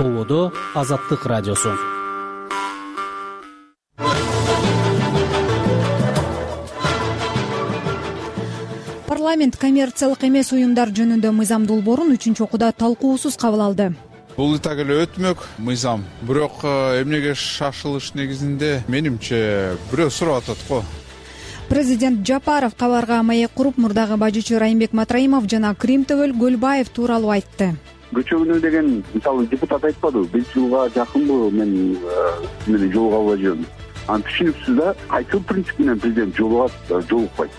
Толодо Азаттык радиосу. Парламент коммерциялык эмес уюмдар жөнүндө мыйзам долбоорун 3-окууда талкуусуз кабыл алды. Бул так эле өтмөк мыйзам. Бирок эмнеге шашылыш негизинде менимче бирөө сурап атат го. Президент Жапаров кабарга маек куруп, мурдагы бажычы Райымбек Матраимов жана Кримтөбөл Көлбаев тууралуу айтты. Көчөгүнө деген мисалы депутат айтпадыбы, 5 жылга жакынбы мен жолуга албай. Анан түшүнүксүз да, кайсыл принцип менен президент жолукпайт.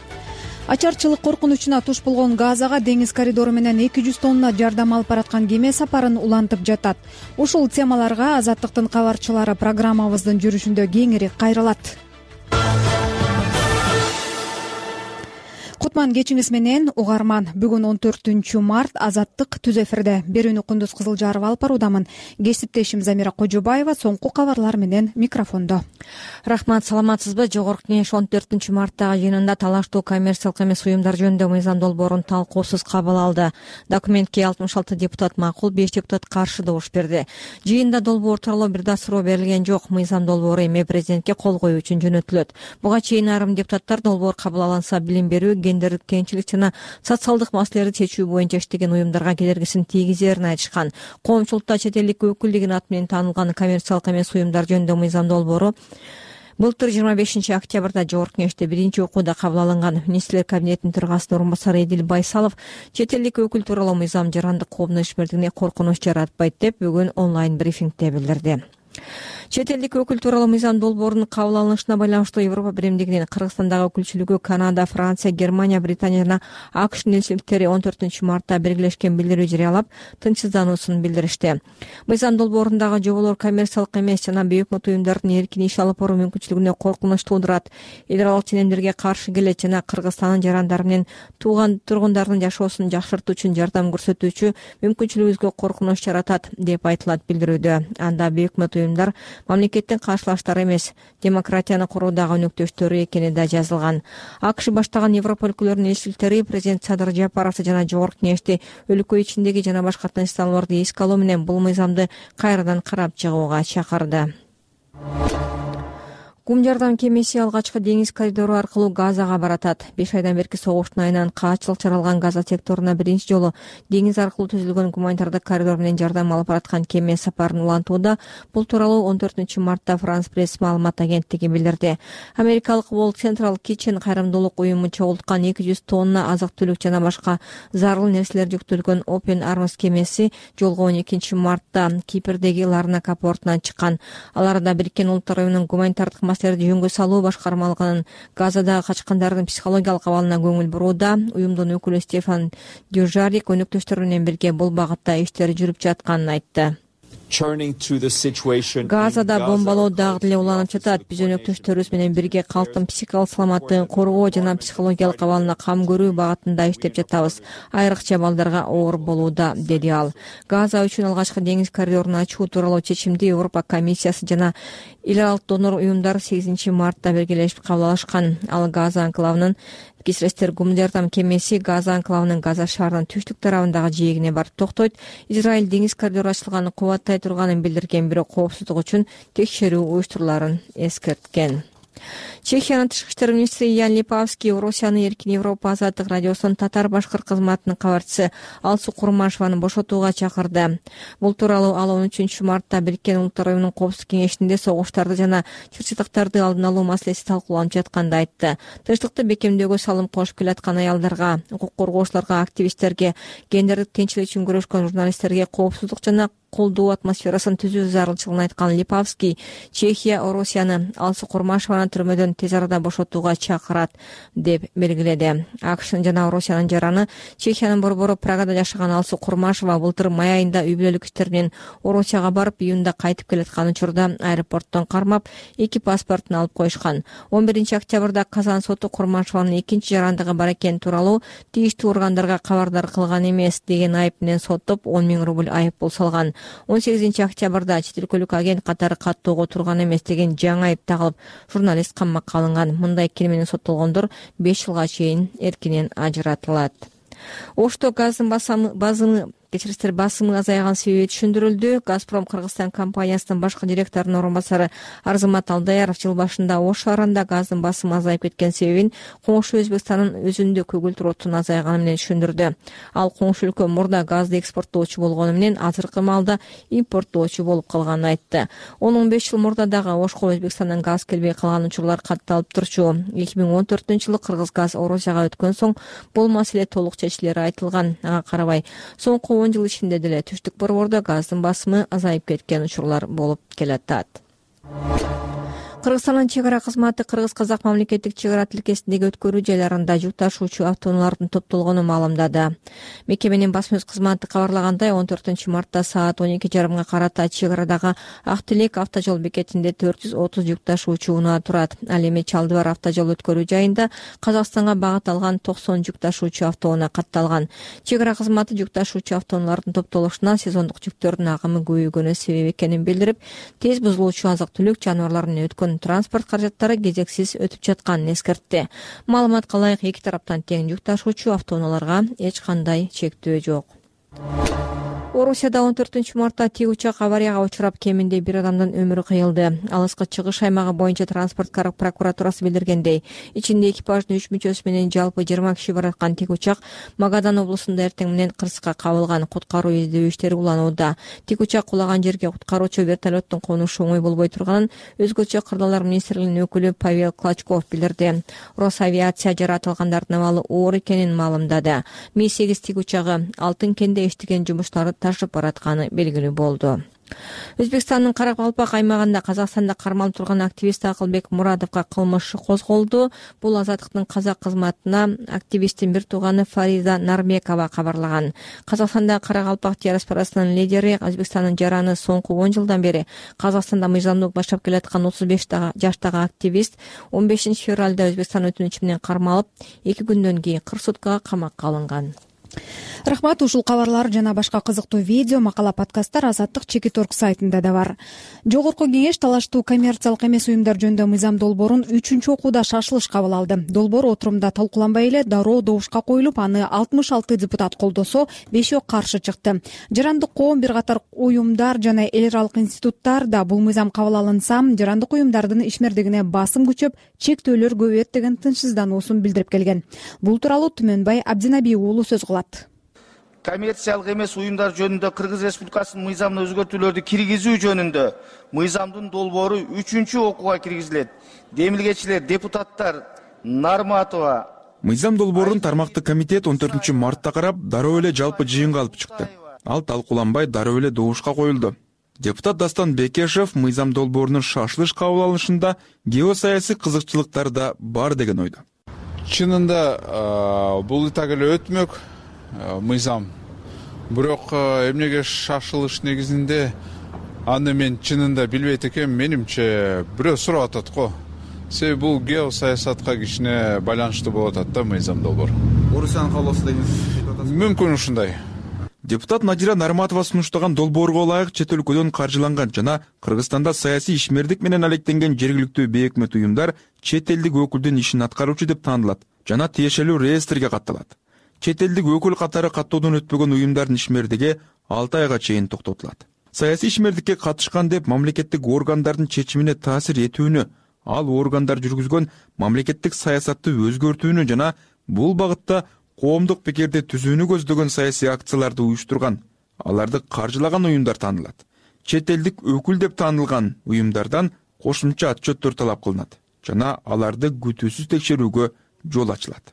Ачарчылык коркунучуна туш болгон Газага деңиз коридору менен 200 тонна жардам алып бараткан кеме сапарын улантып жатат. Ушул темаларга Азаттыктын кабарчылары программабыздын жүрүшүндө кеңири кайрылат. Кутман кечиңиз менен угарман. Бүгүн 14-март Азаттык түз эфирде. Берүүнү Кундуз Кызылжарова алып баруудамын. Кесиптешим Замира Кожобаева соңку кабарлар менен микрофондо. Рахмат, саламатсызбы? Жогорку Кеңеш 14-марттагы жыйынында талаштуу коммерциялык эмес уюмдар жөнүндө мыйзам долбоорун талкуусуз кабыл алды. Документке 66 депутат макул, 5 депутат каршы добуш берди. Жыйында долбоор тууралуу бир да суроо берилген жок. Мыйзам долбоору эми президентке кол коюу үчүн жөнөтүлөт. Буга чейин айрым депутаттар долбоор кабыл алынса билим берүү, гендердик теңчилик жана социалдык маселелерди чечүү боюнча иштеген уюмдарга кедергисин тийгизерин айтышкан. Коомчулукта чет элдик өкүлдүгүнүн аты менен таанылган коммерциялык эмес уюмдар жөнүндө мыйзам долбоору былтыр 25 октябрда Жогорку Кеңеште 1-окууда кабыл алынган. Министрлер кабинетинин төрагасынын орун басары Эдил Байсалов чет элдик өкүл тууралуу мыйзам жарандык коомдун ишмердигине коркунуч жаратпайт деп бүгүн онлайн брифингде билдирди. Чет элдик өкүл тууралуу мыйзам долбоорунун кабыл алынышына байланыштуу Европа биримдигинин Кыргызстандагы өкүлчүлүгү Канада, Франция, Германия, Британия жана АКШнын элчиликтери 14-мартта биргелешкен билдирүү жарыялап, тынчсыздануусун билдиришти. Мыйзам долбоорундагы жоболор коммерциялык эмес жана бейөкмөт уюмдардын эркин иш алып баруу мүмкүнчүлүгүнө коркунуч туудурат, эл аралык ченемдерге каршы келет жана Кыргызстандын жарандары менен тургундардын жашоосун жакшыртуу үчүн жардам көрсөтүүчү мүмкүнчүлүгүбүзгө коркунуч жаратат деп айтылат билдирүүдө. Анда бейөкмөт уюмдар мамлекеттин каршылаштары эмес, демократияны куруудагы өнөктөштөрү экени да жазылган. АКШ баштаган Европа өлкөлөрүнүн элчиликтери президент Садыр Жапаровду жана Жогорку Кеңешти өлкө ичиндеги жана башка тынчсызданууларды эске алуу менен бул мыйзамды кайрадан карап чыгууга чакырды. Кум жардам кемеси алгачкы деңиз коридору аркылуу Газага баратат. 5 айдан берки согуштун айынан каачылык жаралган Газа секторуна биринчи жолу деңиз аркылуу түзүлгөн гуманитардык коридор менен жардам алып бараткан кеме сапарын улантууда. Бул тууралуу 14-мартта Франс пресс маалымат агенттиги билдирди. Америкалык World Central Kitchen кайрымдуулук уюму чогулткан 200 тонна азык-түлүк жана башка зарыл нерселер жүктөлгөн Open Arms кемеси жолго 12-мартта Кипрдеги Ларнака портунан чыккан. Аларда Бириккен Улуттар уюмунун гуманитардык маселелерди жөнгө салуу башкармалыгынын Газадагы качкандардын психологиялык абалына көңүл бурууда. Уюмдун өкүлү Стефан Дюжарик өнөктөштөр менен бирге бул багытта иштер жүрүп жатканын айтты. Газада бомбалоо дагы деле уланып жатат. Биз өнөктөштөрүбүз менен бирге калктын психикалык саламаттыгын коргоо жана психологиялык абалына кам көрүү багытында иштеп жатабыз. Айрыкча балдарга оор болууда, деди ал. Газа үчүн алгачкы деңиз коридорун ачуу тууралуу чечимди Европа комиссиясы жана эл аралык донор уюмдар 8-мартта биргелешип кабыл алышкан. Ал Газа анклавынын Кисрестер гуманитардык жардам кемеси Газа анклавынын Газа шаарынын түштүк тарабындагы жээгине барып токтойт. Израиль деңиз коридору ачылганын кубаттай турганын билдирген, бирок коопсуздук үчүн текшерүү уюштуруларын эскерткен. Чехиянын тышкы иштер министри Ян Липавский Орусиянын Эркин Европа азаттык радиосунун татар-башкыр кызматынын кабарчысы Алсу Курмашеваны бошотууга чакырды. Бул тууралуу ал 13-мартта Бириккен Улуттар уюмунун Коопсуздук кеңешинде согуштарды жана чырчытыктарды алдын алуу маселеси талкууланып жатканда айтты. Тынчтыкты бекемдөөгө салым кошуп келаткан аялдарга, укук коргоочуларга, активисттерге, гендердик теңчилик үчүн күрөшкөн журналисттерге коопсуздук жана колдоо атмосферасын түзүү зарылчылыгын айткан Липавский Чехия Орусияны Алсу Курмашеваны түрмөдөн тез арада бошотууга чакырат деп белгиледи. АКШнын жана Орусиянын жараны Чехиянын борбору Прагада жашаган Алсу Курмашева былтыр май айында үй бүлөлүк иштер менен Орусияга барып, июнда кайтып келаткан учурда аэропорттон кармап, 2 паспортун алып коюшкан. 11-октябрда Казан соту Курмашеванын экинчи жарандыгы бар экени тууралуу тийиштүү органдарга кабардар кылган эмес деген айып менен соттоп 10 000 рубль айып пул салган. 18-октябрда чет өлкөлүк агент катары каттоого турган эмес деген жаңы айып тагылып, журналист камакка алынган. Мындай кир менен соттолгондор 5 жылга чейин эркинен ажыратылат. Ошто газдын кечиристер басымы азайган себеби түшүндүрүлдү. Газпром Кыргызстан компаниясынын башкы директорунун орун басары Арзымат Алдаяров жыл башында Ош шаарында газдын басымы азайып кеткен себебин коңшу Өзбекстандын өзүндө көгүлдүр оттун азайганы менен түшүндүрдү. Ал коңшу өлкө мурда газды экспорттоочу болгону менен азыркы маалда импорттоочу болуп калганын айтты. 10-15 жыл мурда дагы Ошко Өзбекстандан газ келбей калган учурлар катталып турчу. 2014-жылы Кыргыз газ Орусияга өткөн соң бул маселе толук чечилери айтылган. Ага карабай соңку 10 жыл ичинде деле түштүк борбордо газдын басымы азайып кеткен учурлар болуп келатат. Кыргызстандын чек ара кызматы кыргыз-казак мамлекеттик чек ара тилкесиндеги өткөрүү жайларында жүк ташуучу автоунаалардын топтолгонун маалымдады. Мекеменин басма сөз кызматы кабарлагандай, 14 мартта саат 12:30 карата чек арадагы Ак Тилек автожол бекетинде 430 жүк ташуучу унаа турат. Ал эми Чалдыбар автожол өткөрүү жайында Казакстанга багыт алган 90 жүк ташуучу автоунаа катталган. Чек ара кызматы жүк ташуучу автоунаалардын топтолушуна сезондук жүктөрдүн агымы көбөйгөнү себеп экенин билдирип, тез бузулуучу азык-түлүк жаныбарларын өткөн транспорт каражаттары кезексиз өтүп жатканын эскертти. Маалыматка ылайык, эки тараптан тең жүк ташуучу автоунааларга эч кандай чектөө жок. Орусияда 14 мартта тик учак аварияга учурап кеминде бир адамдын өмүрү кыйылды. Алыскы чыгыш аймагы боюнча транспорт прокуратурасы билдиргендей, ичинде экипаждын 3 мүчөсү менен жалпы 20 киши бараткан тик учак Магадан облусунда эртең менен кырсыкка кабылган. Куткаруу издөө иштери уланууда. Тик учак кулаган жерге куткаруучу вертолеттун конушу оңой болбой турганын өзгөчө кырдаалар министрлигинин өкүлү Павел Клочков билдирди. Росавиация жаратылгандардын абалы оор экенин маалымдады. Ми-8 тик учагы Алтын кенде иштеген жумуштары ташып баратканы белгилүү болду. Өзбекстандын Каракалпак аймагында Казакстанда кармалып турган активист Акылбек Мурадовго кылмыш козголду. Бул Азаттыктын казак кызматына активисттин бир тууганы Фариза Нарбекова кабарлаган. Казакстанда Каракалпак диаспорасынын лидери, Өзбекстандын жараны соңку 10 жылдан бери Казакстанда мыйзамдуу баштап келаткан 35 жаштагы активист 15 февралда Өзбекстан өтүнүчү менен кармалып, 2 күндөн кийин 40 суткага камакка алынган. Рахмат. Ушул кабарлар жана башка кызыктуу видео, макала, подкасттар Азаттык Чекиторг сайтында да бар. Жогорку кеңеш талаштуу коммерциялык эмес уюмдар жөнүндө мыйзам долбоорун 3-окууда шашылыш кабыл алды. Долбоор отурумда талкууланбай эле дароо добушка коюлуп, аны 66 депутат колдосо, 5 каршы чыкты. Жарандык коом, бир катар уюмдар жана эл аралык институттар да бул мыйзам кабыл алынса, жарандык уюмдардын ишмердигине басым күчөп, чектөөлөр көбөйөт деген тынчсыздануусун билдирип келген. Бул тууралуу Түмөнбай Абдинабиев уулу сөз кылат. Коммерциялык эмес уюмдар жөнүндө Кыргыз Республикасынын мыйзамына өзгөртүүлөрдү киргизүү жөнүндө мыйзамдын долбоору 3-окууга киргизилет. Демилгечилер депутаттар Нарматова. Мыйзам долбоорун тармактык комитет 14 мартта карап, дароо эле жалпы жыйынга алып чыкты. Ал талкууланбай дароо эле добушка коюлду. Депутат Дастан Бекешев мыйзам долбоорунун шашылыш кабыл алынышында геосаясий кызыкчылыктар да бар деген ойдо. Чынында бул так эле өтмөк мыйзам. Бирок эмнеге шашылыш негизинде аны мен чынында билбейт экенмин. Менимче бирөө сурап атат го. Себеби бул геосаясатка кичине байланыштуу болуп атат да мыйзам долбоор. Орусиянын каалоосу деген мүмкүн ушундай. Депутат Надира Нарматова сунуштаган долбоорго ылайык чет өлкөдөн каржыланган жана Кыргызстанда саясий ишмердик менен алектенген жергиликтүү бейөкмөт уюмдар чет элдик өкүлдүн ишин аткаруучу деп таанылат жана тиешелүү реестрге катталат. Чет элдик өкүл катары каттоодон өтпөгөн уюмдардын ишмердиги 6 айга чейин токтотулат. Саясий ишмердикке катышкан деп мамлекеттик органдардын чечимине таасир этүүнү, ал органдар жүргүзгөн мамлекеттик саясатты өзгөртүүнү жана бул багытта коомдук пикирди түзүүнү көздөгөн саясий акцияларды уюштурган, аларды каржылаган уюмдар таанылат. Чет элдик өкүл деп таанылган уюмдардан кошумча отчеттор талап кылынат жана аларды күтүүсүз текшерүүгө жол ачылат.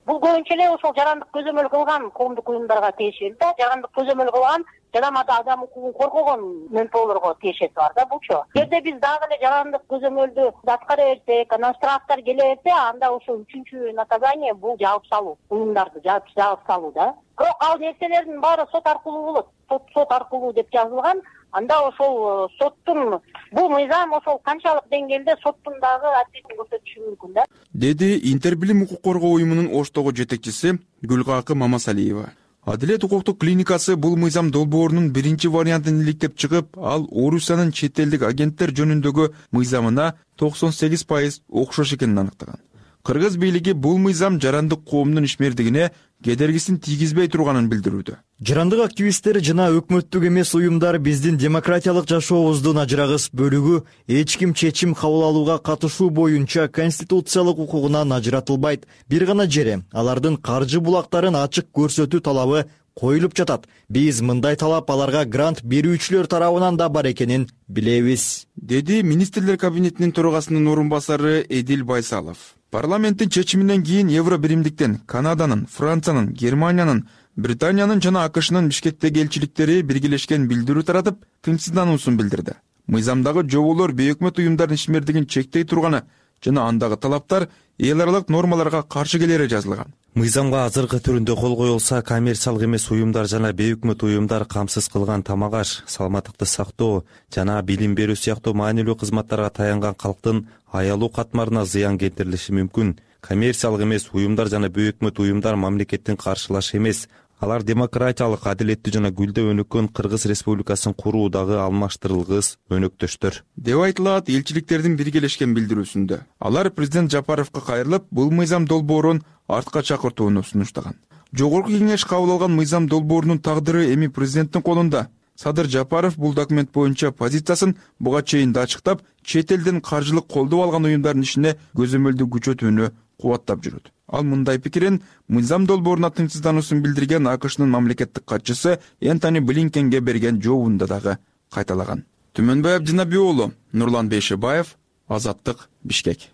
Бул көбүнчө эле ошол жарандык көзөмөл кылган коомдук уюмдарга тиешелүү да, жарандык көзөмөл кылган жана адам укугун коргогон ментоолорго тиешеси бар да булчу. Эгерде биз дагы эле жарандык көзөмөлдү аткара берсек, анан штрафтар келе берсе, анда ошол 3-чү наказание бул жаап салуу, уюмдарды жаап салуу да. Бирок ал нерселердин баары сот аркылуу болот. Сот аркылуу деп жазылган. Анда ошол соттун бул мыйзам ошол канчалык деңгээлде соттун дагы адилетин көрсөтүшү мүмкүн да. Деди Интербилим укук коргоо уюмунун Оштогу жетекчиси Гүлкакы Мамасалиева. Адилет укуктук клиникасы бул мыйзам долбоорунун биринчи вариантын иликтеп чыгып, ал Орусиянын чет элдик агенттер жөнүндөгү мыйзамына 98% окшош экенин аныктаган. Кыргыз бийлиги бул мыйзам жарандык коомдун ишмердигине кедергисин тийгизбей турганын билдирүүдө. Жарандык активисттер жана өкмөттүк эмес уюмдар биздин демократиялык жашообуздун ажырагыс бөлүгү эч ким чечим кабыл алууга катышуу боюнча конституциялык укугунан ажыратылбайт. Бир гана жере алардын каржы булактарын ачык көрсөтүү талабы коюлуп жатат. Биз мындай талап аларга грант берүүчүлөр тарабынан да бар экенин билебиз, деди министрлер кабинетинин төрагасынын орун басары Эдил Байсалов. Парламенттин чечиминен кийин Евро биримдиктен Канаданын, Франциянын, Германиянын, Британиянын жана АКШнын Бишкектеги элчиликтери биргелешкен билдирүү таратып, тынчсыздануусун билдирди. Мыйзамдагы жоболор бейөкмөт уюмдардын ишмердигин чектей турганы жана андагы талаптар эл аралык нормаларга каршы келери жазылган. Мыйзамга азыркы түрүндө кол коюлса, коммерциялык эмес уюмдар жана бейөкмөт уюмдар камсыз кылган тамак-аш, саламаттыкты сактоо жана билим берүү сыяктуу маанилүү кызматтарга таянган калктын аялуу катмарына зыян келтирилиши мүмкүн. Коммерциялык эмес уюмдар жана бейөкмөт уюмдар мамлекеттин каршылашы эмес. Алар демократиялык, адилеттүү жана гүлдөө өнүккөн Кыргыз Республикасын куруудагы алмаштырылгыс өнөктөштөр, деп айтылат элчиликтердин биргелешкен билдирүүсүндө. Алар президент Жапаровго кайрылып, бул мыйзам долбоорун артка чакыртууну сунуштаган. Жогорку кеңеш кабыл алган мыйзам долбоорунун тагдыры эми президенттин колунда. Садыр Жапаров бул документ боюнча позициясын буга чейин да ачыктап, чет элден каржылык колдоо алган уюмдардын ишине көзөмөлдү күчөтүүнү кубаттап жүрөт. Ал мындай пикирин мыйзам долбооруна тынчсыздануусун билдирген АКШнын мамлекеттик катчысы Энтони Блинкенге берген жообунда дагы кайталаган. Түмөнбай Абдинабий уулу, Нурлан Бейшебаев, Азаттык, Бишкек.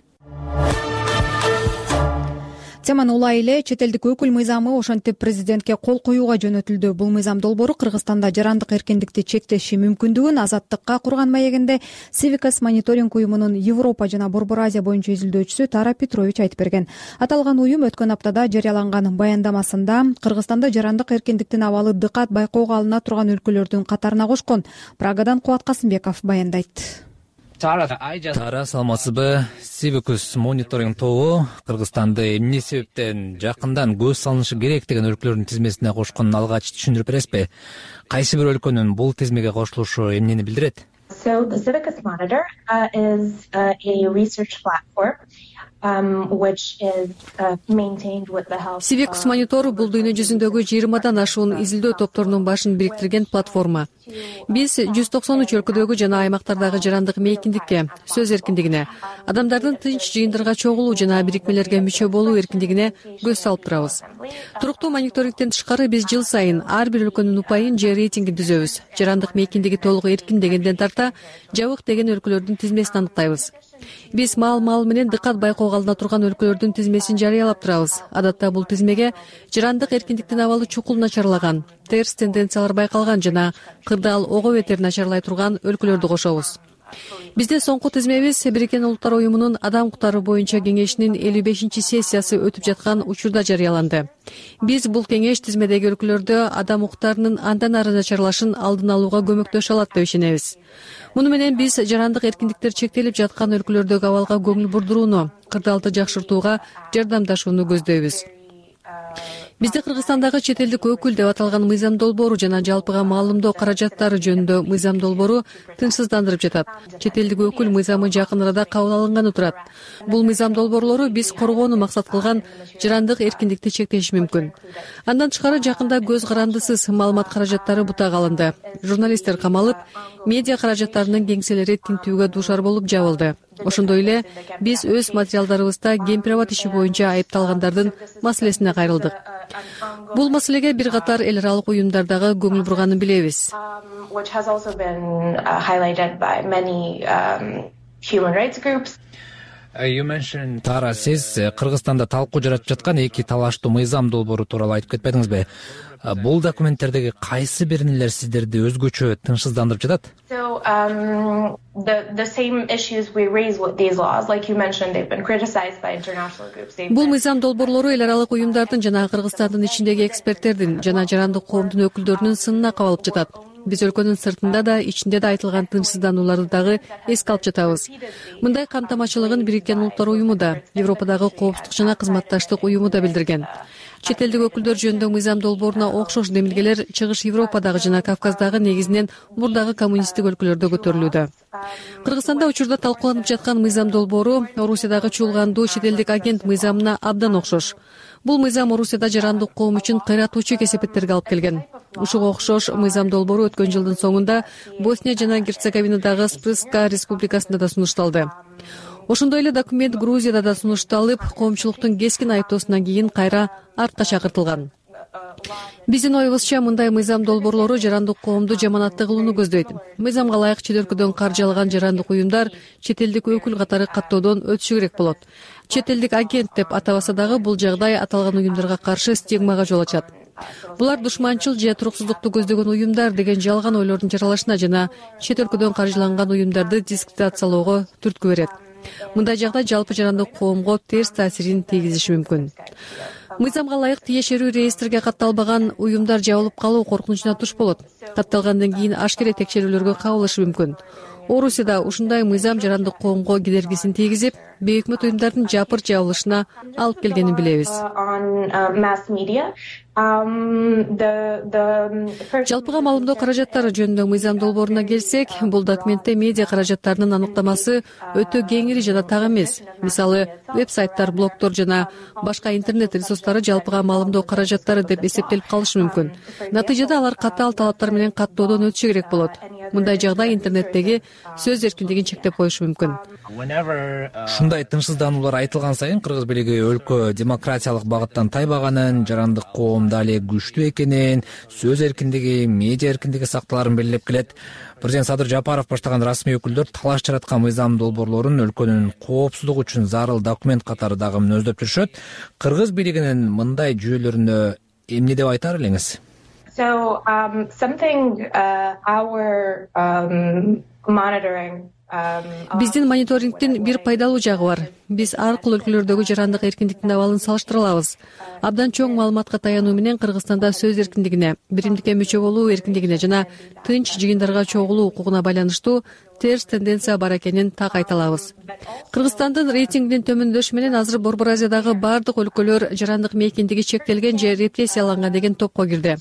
Теманы улай эле чет элдик өкүл мыйзамы ошентип президентке кол коюуга жөнөтүлдү. Бул мыйзам долбоору Кыргызстанда жарандык эркиндикти чектеши мүмкүндүгүн Азаттыкка курган маегинде Civicus мониторинг уюмунун Европа жана Борбор Азия боюнча изилдөөчүсү Тара Петрович айтып берген. Аталган уюм өткөн аптада жарыяланган баяндамасында Кыргызстанда жарандык эркиндиктин абалы дыкат байкоого алына турган өлкөлөрдүн катарына кошкон. Прагадан Кубат Касымбеков баяндайт. Тара, саламатсызбы? Civicus мониторинг тобу Кыргызстанды эмне себептен жакындан көз салынышы керек деген өлкөлөрдүн тизмесине кошконун алгач түшүндүрүп бересизби? Кайсы бир өлкөнүн бул тизмеге кошулушу эмнени билдирет? So the Civicus Monitor is a research platform which is maintained with the help. Civicus Monitor бул дүйнө жүзүндөгү 20дан ашуун изилдөө топторунун башын бириктирген платформа. Биз 193 өлкөдөгү жана аймактардагы жарандык мейкиндикке, сөз эркиндигине, адамдардын тынч жыйындарга чогулуу жана бирикмелерге мүчө болуу эркиндигине көз салып турабыз. Туруктуу мониторингден тышкары биз жыл сайын ар бир өлкөнүн упайын же рейтингин түзөбүз. Жарандык мейкиндиги толук эркин дегенден тарта жабык деген өлкөлөрдүн тизмесин аныктайбыз. Биз маал менен дыкат байкоого алына турган өлкөлөрдүн тизмесин жарыялап турабыз. Адатта бул тизмеге жарандык эркиндиктин абалы чукул начарлаган, терс тенденциялар байкалган жана кырдаал ого бетер начарлай турган өлкөлөрдү кошобуз. Бизде соңку тизмебиз Бириккен Улуттар уюмунун Адам укуктары боюнча кеңешинин 55-сессиясы өтүп жаткан учурда жарыяланды. Биз бул кеңеш тизмедеги өлкөлөрдө адам укуктарынын андан ары начарлашын алдын алууга көмөктөшө алат деп ишенебиз. Муну менен биз жарандык эркиндиктер чектелип жаткан өлкөлөрдөгү абалга көңүл бурдурууну, кырдаалды жакшыртууга жардамдашууну көздөйбүз. Бизде Кыргызстандагы чет элдик өкүл деп аталган мыйзам долбоору жана жалпыга маалымдоо каражаттары жөнүндө мыйзам долбоору тынчсыздандырып жатат. Чет элдик өкүл мыйзамы жакын арада кабыл алынганы турат. Бул мыйзам долбоорлору биз коргоону максат кылган жарандык эркиндикти чектеши мүмкүн. Андан тышкары жакында көз карандысыз маалымат каражаттары бутага алынды. Журналисттер камалып, медиа каражаттарынын кеңселери тинтүүгө дуушар болуп жабылды. Ошондой эле биз өз материалдарыбызда гемпирабад иши боюнча айыпталгандардын маселесине кайрылдык. Бул маселеге бир катар эл аралык уюмдардагы көңүл бурганын билебиз. Тара, сиз Кыргызстанда талкуу жаратып жаткан эки талаштуу мыйзам долбоору тууралуу айтып кетпедиңизби? Бул документтердеги кайсы биринилер сиздерди өзгөчө тынчсыздандырып жатат? Бул мыйзам долбоорлору эл аралык уюмдардын жана Кыргызстандын ичиндеги эксперттердин жана жарандык коомдун өкүлдөрүнүн сынына кабылып жатат. Биз өлкөнүн сыртында да, ичинде да айтылган тынчсызданууларды дагы эске алып жатабыз. Мындай камтамачылыгын Бириккен Улуттар уюму да, Европадагы коопсуздук жана кызматташтык уюму да билдирген. Чет элдик өкүлдөр жөнүндө мыйзам долбооруна окшош демилгелер Чыгыш Европадагы жана Кавказдагы негизинен мурдагы коммунисттик өлкөлөрдө көтөрүлүүдө. Кыргызстанда учурда талкууланып жаткан мыйзам долбоору Орусиядагы чуулгандуу чет элдик агент мыйзамына абдан окшош. Бул мыйзам Орусияда жарандык коом үчүн кыйратуучу кесепеттерге алып келген. Ушуга окшош мыйзам долбоору өткөн жылдын соңунда Босния жана Герцеговинадагы Спрска республикасында да сунушталды. Ошондой эле документ Грузияда да сунушталып, коомчулуктун кескин айыптоосунан кийин кайра артка чакыртылган. Биздин оюбузча мындай мыйзам долбоорлору жарандык коомду жаманатты кылууну көздөйт. Мыйзамга ылайык чет өлкөдөн каржы алган жарандык уюмдар чет элдик өкүл катары каттоодон өтүшү керек болот. Чет элдик агент деп атабаса дагы бул жагдай аталган уюмдарга каршы стигмага жол ачат. Булар душманчыл же туруксуздукту көздөгөн уюмдар деген жалган ойлордун жаралышына жана чет өлкөдөн каржыланган уюмдарды дискредитациялоого түрткү берет. Мындай жагдай жалпы жарандык коомго терс таасирин тийгизиши мүмкүн. Мыйзамга ылайык тиешелүү реестрге катталбаган уюмдар жабылып калуу коркунучуна туш болот. Катталгандан кийин ашкере текшерүүлөргө кабылышы мүмкүн. Орусияда ушундай мыйзам жарандык коомго кедергисин тийгизип, бейөкмөт уюмдардын жапыр жабылышына алып келгенин билебиз. Жалпыга маалымдоо каражаттары жөнүндө мыйзам долбооруна келсек, бул документте медиа каражаттарынын аныктамасы өтө кеңири жана так эмес. Мисалы, веб-сайттар, блогдор жана башка интернет ресурстары жалпыга маалымдоо каражаттары деп эсептелип калышы мүмкүн. Натыйжада алар катаал талаптар менен каттоодон өтүшү керек болот. Мындай жагдай интернеттеги сөз эркиндигин чектеп коюшу мүмкүн. Ушундай тынчсыздануулар айтылган сайын кыргыз бийлиги өлкө демократиялык багыттан тайбаганын, жарандык коом дали күчтүү экенин, сөз эркиндиги, медиа эркиндиги сакталарын белгилеп келет. Президент Садыр Жапаров баштаган расмий өкүлдөр талаш жараткан мыйзам долбоорлорун өлкөнүн коопсуздугу үчүн зарыл документ катары дагы мүнөздөп жүрүшөт. Кыргыз бийлигинин мындай жүйөлөрүнө эмне деп айтар элеңиз? Биздин мониторингдин бир пайдалуу жагы бар. Биз ар кыл өлкөлөрдөгү жарандык эркиндиктин абалын салыштыра алабыз. Абдан чоң маалыматка таянуу менен Кыргызстанда сөз эркиндигине, биримдикке мүчө болуу эркиндигине жана тынч жыйындарга чогулуу укугуна байланыштуу терс тенденция бар экенин так айта алабыз. Кыргызстандын рейтингинин төмөндөшү менен азыр Борбор Азиядагы бардык өлкөлөр жарандык мейкиндиги чектелген же репрессияланган деген топко кирди.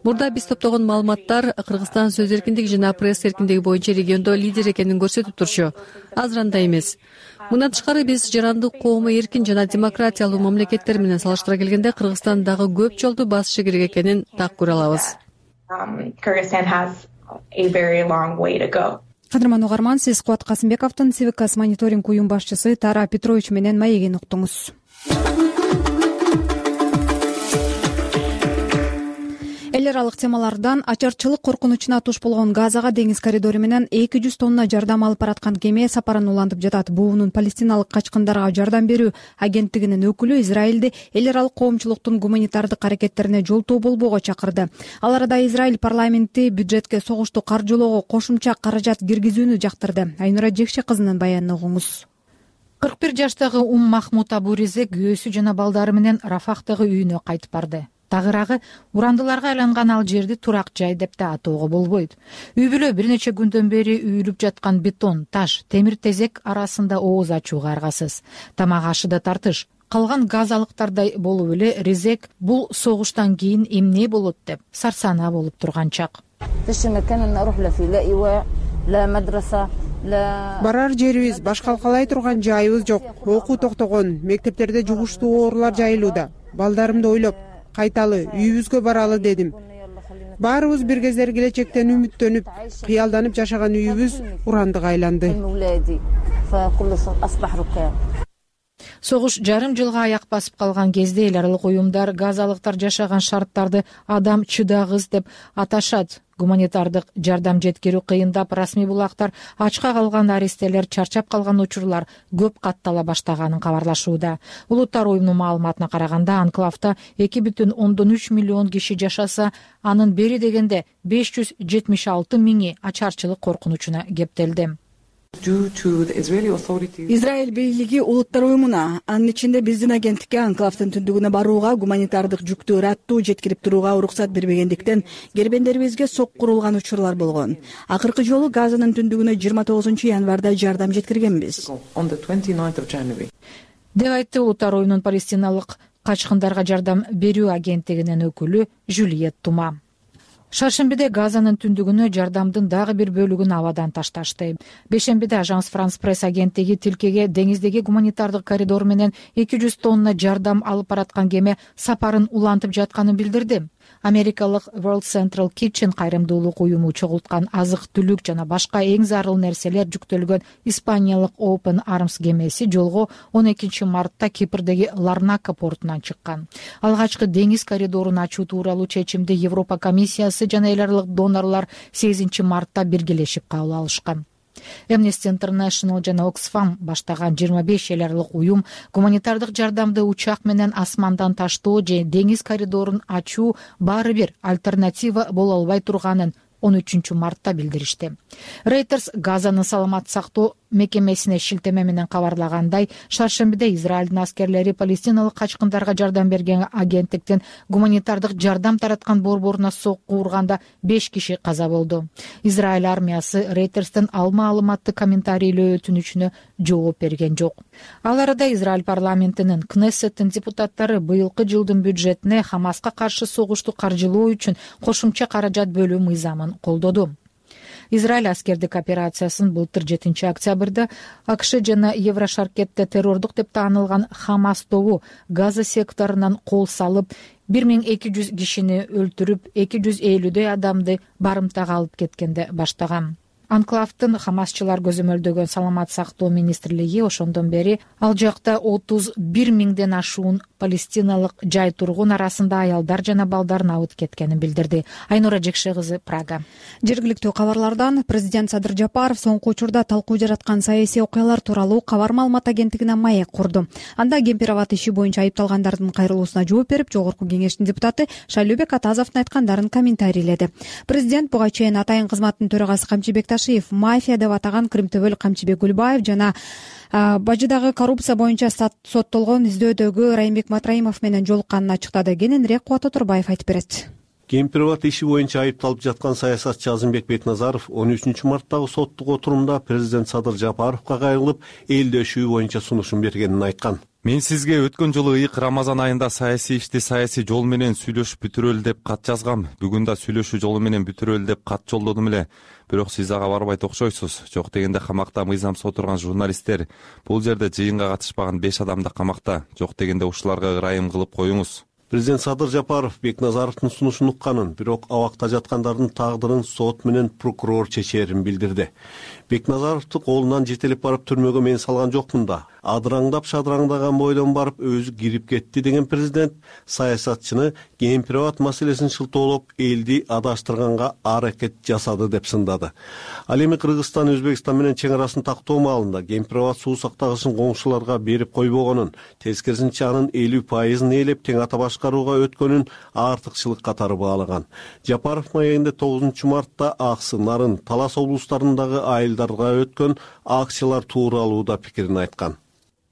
Мурда биз топтогон маалыматтар Кыргызстан сөз эркиндиги жана пресс эркиндиги боюнча региондо лидер экенин көрсөтүп турчу. Азыр андай эмес. Мындан тышкары биз жарандык коому эркин жана демократиялуу мамлекеттер менен салыштыра келгенде Кыргызстан дагы көп жолду басышы керек экенин так көрө алабыз. Кадырман угарман, сиз Кубат Касымбековдун Civitas мониторинг уюм башчысы Тара Петрович менен маегин уктуңуз. Эл аралык темалардан ачарчылык коркунучуна туш болгон Газага деңиз коридору менен 200 тонна жардам алып бараткан кеме сапарын улантып жатат. Буунун Палестиналык качкындарга жардам берүү агенттигинин өкүлү Израилди эл аралык коомчулуктун гуманитардык аракеттерине жолтоо болбоого чакырды. Ал арада Израиль парламенти бюджетке согушту каржылоого кошумча каражат киргизүүнү жактырды. Айнура Жекше кызынын баянын угуңуз. 41 жаштагы Махмуд Абуризе күйөөсү жана балдары менен Рафахтагы үйүнө кайтып барды. Тагыраагы урандыларга айланган ал жерди турак жай деп да атоого болбойт. Үй бүлө бир нече күндөн бери үйүлүп жаткан бетон, таш, темир тезек арасында ооз ачууга аргасыз. Тамак ашы да тартыш. Калган газалыктардай болуп эле Резек бул согуштан кийин эмне болот деп сарсанаа болуп турган чак. Барар жерибиз, башкалкалай турган жайыбыз жок. Окуу токтогон, мектептерде жугуштуу оорулар жайылууда. Балдарымды ойлоп кайталы, үйүбүзгө баралы дедим. Баарыбыз бир кездер келечектен үмүттөнүп, кыялданып жашаган үйүбүз урандыга айланды. Согуш жарым жылга аяк басып калган кезде эл аралык уюмдар газалыктар жашаган шарттарды адам чыдагыс деп аташат. Гуманитардык жардам жеткирүү кыйындап, расмий булактар ачка калган аристелер, чарчап калган учурлар көп каттала баштаганын кабарлашууда. Улуттар уюмунун маалыматына караганда, анклавда 2,3 миллион киши жашаса, анын бери дегенде 576 миңи ачарчылык коркунучуна кептелди. Израиль бийлиги улуттар уюмуна, анын ичинде биздин агенттикке анклавдын түндүгүнө барууга, гуманитардык жүктү ыраттуу жеткирип турууга уруксат бербегендиктен кербендерибизге соккурулган учурлар болгон. Акыркы жолу Газанын түндүгүнө 29 январда жардам жеткиргенбиз. Деп айтты улуттар уюмунун палестиналык качкындарга жардам берүү агенттигинин өкүлү Жюльет Тума. Шаршембиде Газанын түндүгүнө жардамдын дагы бир бөлүгүн абадан ташташты. Бейшембиде Ажанс Франс пресс агенттиги тилкеге деңиздеги гуманитардык коридор менен 200 тонна жардам алып бараткан кеме сапарын улантып жатканын билдирди. Америкалык World Central Kitchen кайрымдуулук уюму чогулткан азык-түлүк жана башка эң зарыл нерселер жүктөлгөн испаниялык Open Arms кемеси жолго 12 мартта Кипрдеги Ларнака портунан чыккан. Алгачкы деңиз коридорун ачуу тууралуу чечимди Европа комиссиясы жана эл аралык донорлор 8 мартта биргелешип кабыл алышкан. Amnesty International жана Oxfam баштаган 25 эл аралык уюм гуманитардык жардамды учак менен асмандан таштоо же деңиз коридорун ачуу баары бир альтернатива боло албай турганын 13 мартта билдиришти. Reuters Газанын саламат сактоо мекемесине шилтеме менен кабарлагандай, шаршембиде Израилдин аскерлери палестиналык качкындарга жардам берген агенттиктин гуманитардык жардам тараткан борборуна сокку урганда 5 киши каза болду. Израиль армиясы Reuters'тын маалыматтык комментарийлөө өтүнүчүнө жооп берген жок. Ал арада Израиль парламентинин Кнессеттин депутаттары быйылкы жылдын бюджетине Хамаска каршы согушту каржылоо үчүн кошумча каражат бөлүү мыйзамын колдоду. Израиль аскердик операциясын былтыр 7 октябрда АКШ жана Еврошаркетте террордук деп таанылган Хамас тобу Газа секторунан кол салып, 1200 кишини өлтүрүп, 250 адамды барымтага алып кеткенде баштаган. Анклавдын Хамасчылар көзөмөлдөгөн саламат сактоо министрлиги ошондон бери ал жакта 31 миңден ашуун палестиналык жай тургун арасында аялдар жана балдар абыт кеткенин билдирди. Айнура Жекше кызы, Прага. Жергиликтүү кабарлардан президент Садыр Жапаров соңку учурда талкуу жараткан саясий окуялар тууралуу кабар маалымат агенттигине маек курду. Анда Кемпироват иши боюнча айыпталгандардын кайрылуусуна жооп берип, Жогорку кеңештин депутаты Шайлообек Атазовдун айткандарын комментарийледи. Президент буга чейин Атайын кызматтын төрагасы Камчыбек Ташиев мафия деп атаган Кырымтөбөл Камчыбек Гүлбаев жана бажыдагы коррупция боюнча соттолгон издөөдөгү Райымбек Матраимов менен жолукканын ачыктады. Кененирээк Кубат Оторбаев айтып берет. Кемпироват иши боюнча айыпталып жаткан саясатчы Азымбек Бекназаров 13 марттагы соттук отурумда президент Садыр Жапаровго кайрылып, элдөшүү боюнча сунушун бергенин айткан. Мен сизге өткөн жылы ыйык Рамазан айында саясий ишти саясий жол менен сүйлөшүп бүтүрөлү деп кат жазгам. Бүгүн да сүйлөшүү жолу менен бүтүрөлү деп кат жолдодум эле. Бирок сиз ага барбайт окшойсуз. Жок дегенде камакта мыйзамсыз отурган журналисттер, бул жерде жыйынга катышпаган 5 адам да камакта. Жок дегенде ушуларга ырайым кылып коюңуз. Президент Садыр Жапаров Бекназаровдун сунушун укканын, бирок абакта жаткандардын тагдырын сот менен прокурор чечерин билдирди. Бекназаровду колунан жетелеп барып түрмөгө мен салган жокмун да. Адыраңдап шадыраңдаган бойдон барып өзү кирип кетти деген президент саясатчыны Кемпироват маселесин шылтоолоп, элди адаштырганга аракет жасады деп сындады. Ал эми Кыргызстан Өзбекстан менен чең арасын тактоо маалында Кемпироват суу сактагычын коңшуларга берип койбогонун, тескерисинче анын 50% ээлеп тең ата башкарууга өткөнүн артыкчылык катары баалаган. Жапаров маегинде 9 мартта Аксы, Нарын, Талас облустарындагы айылдарга өткөн акциялар тууралуу да пикирин айткан.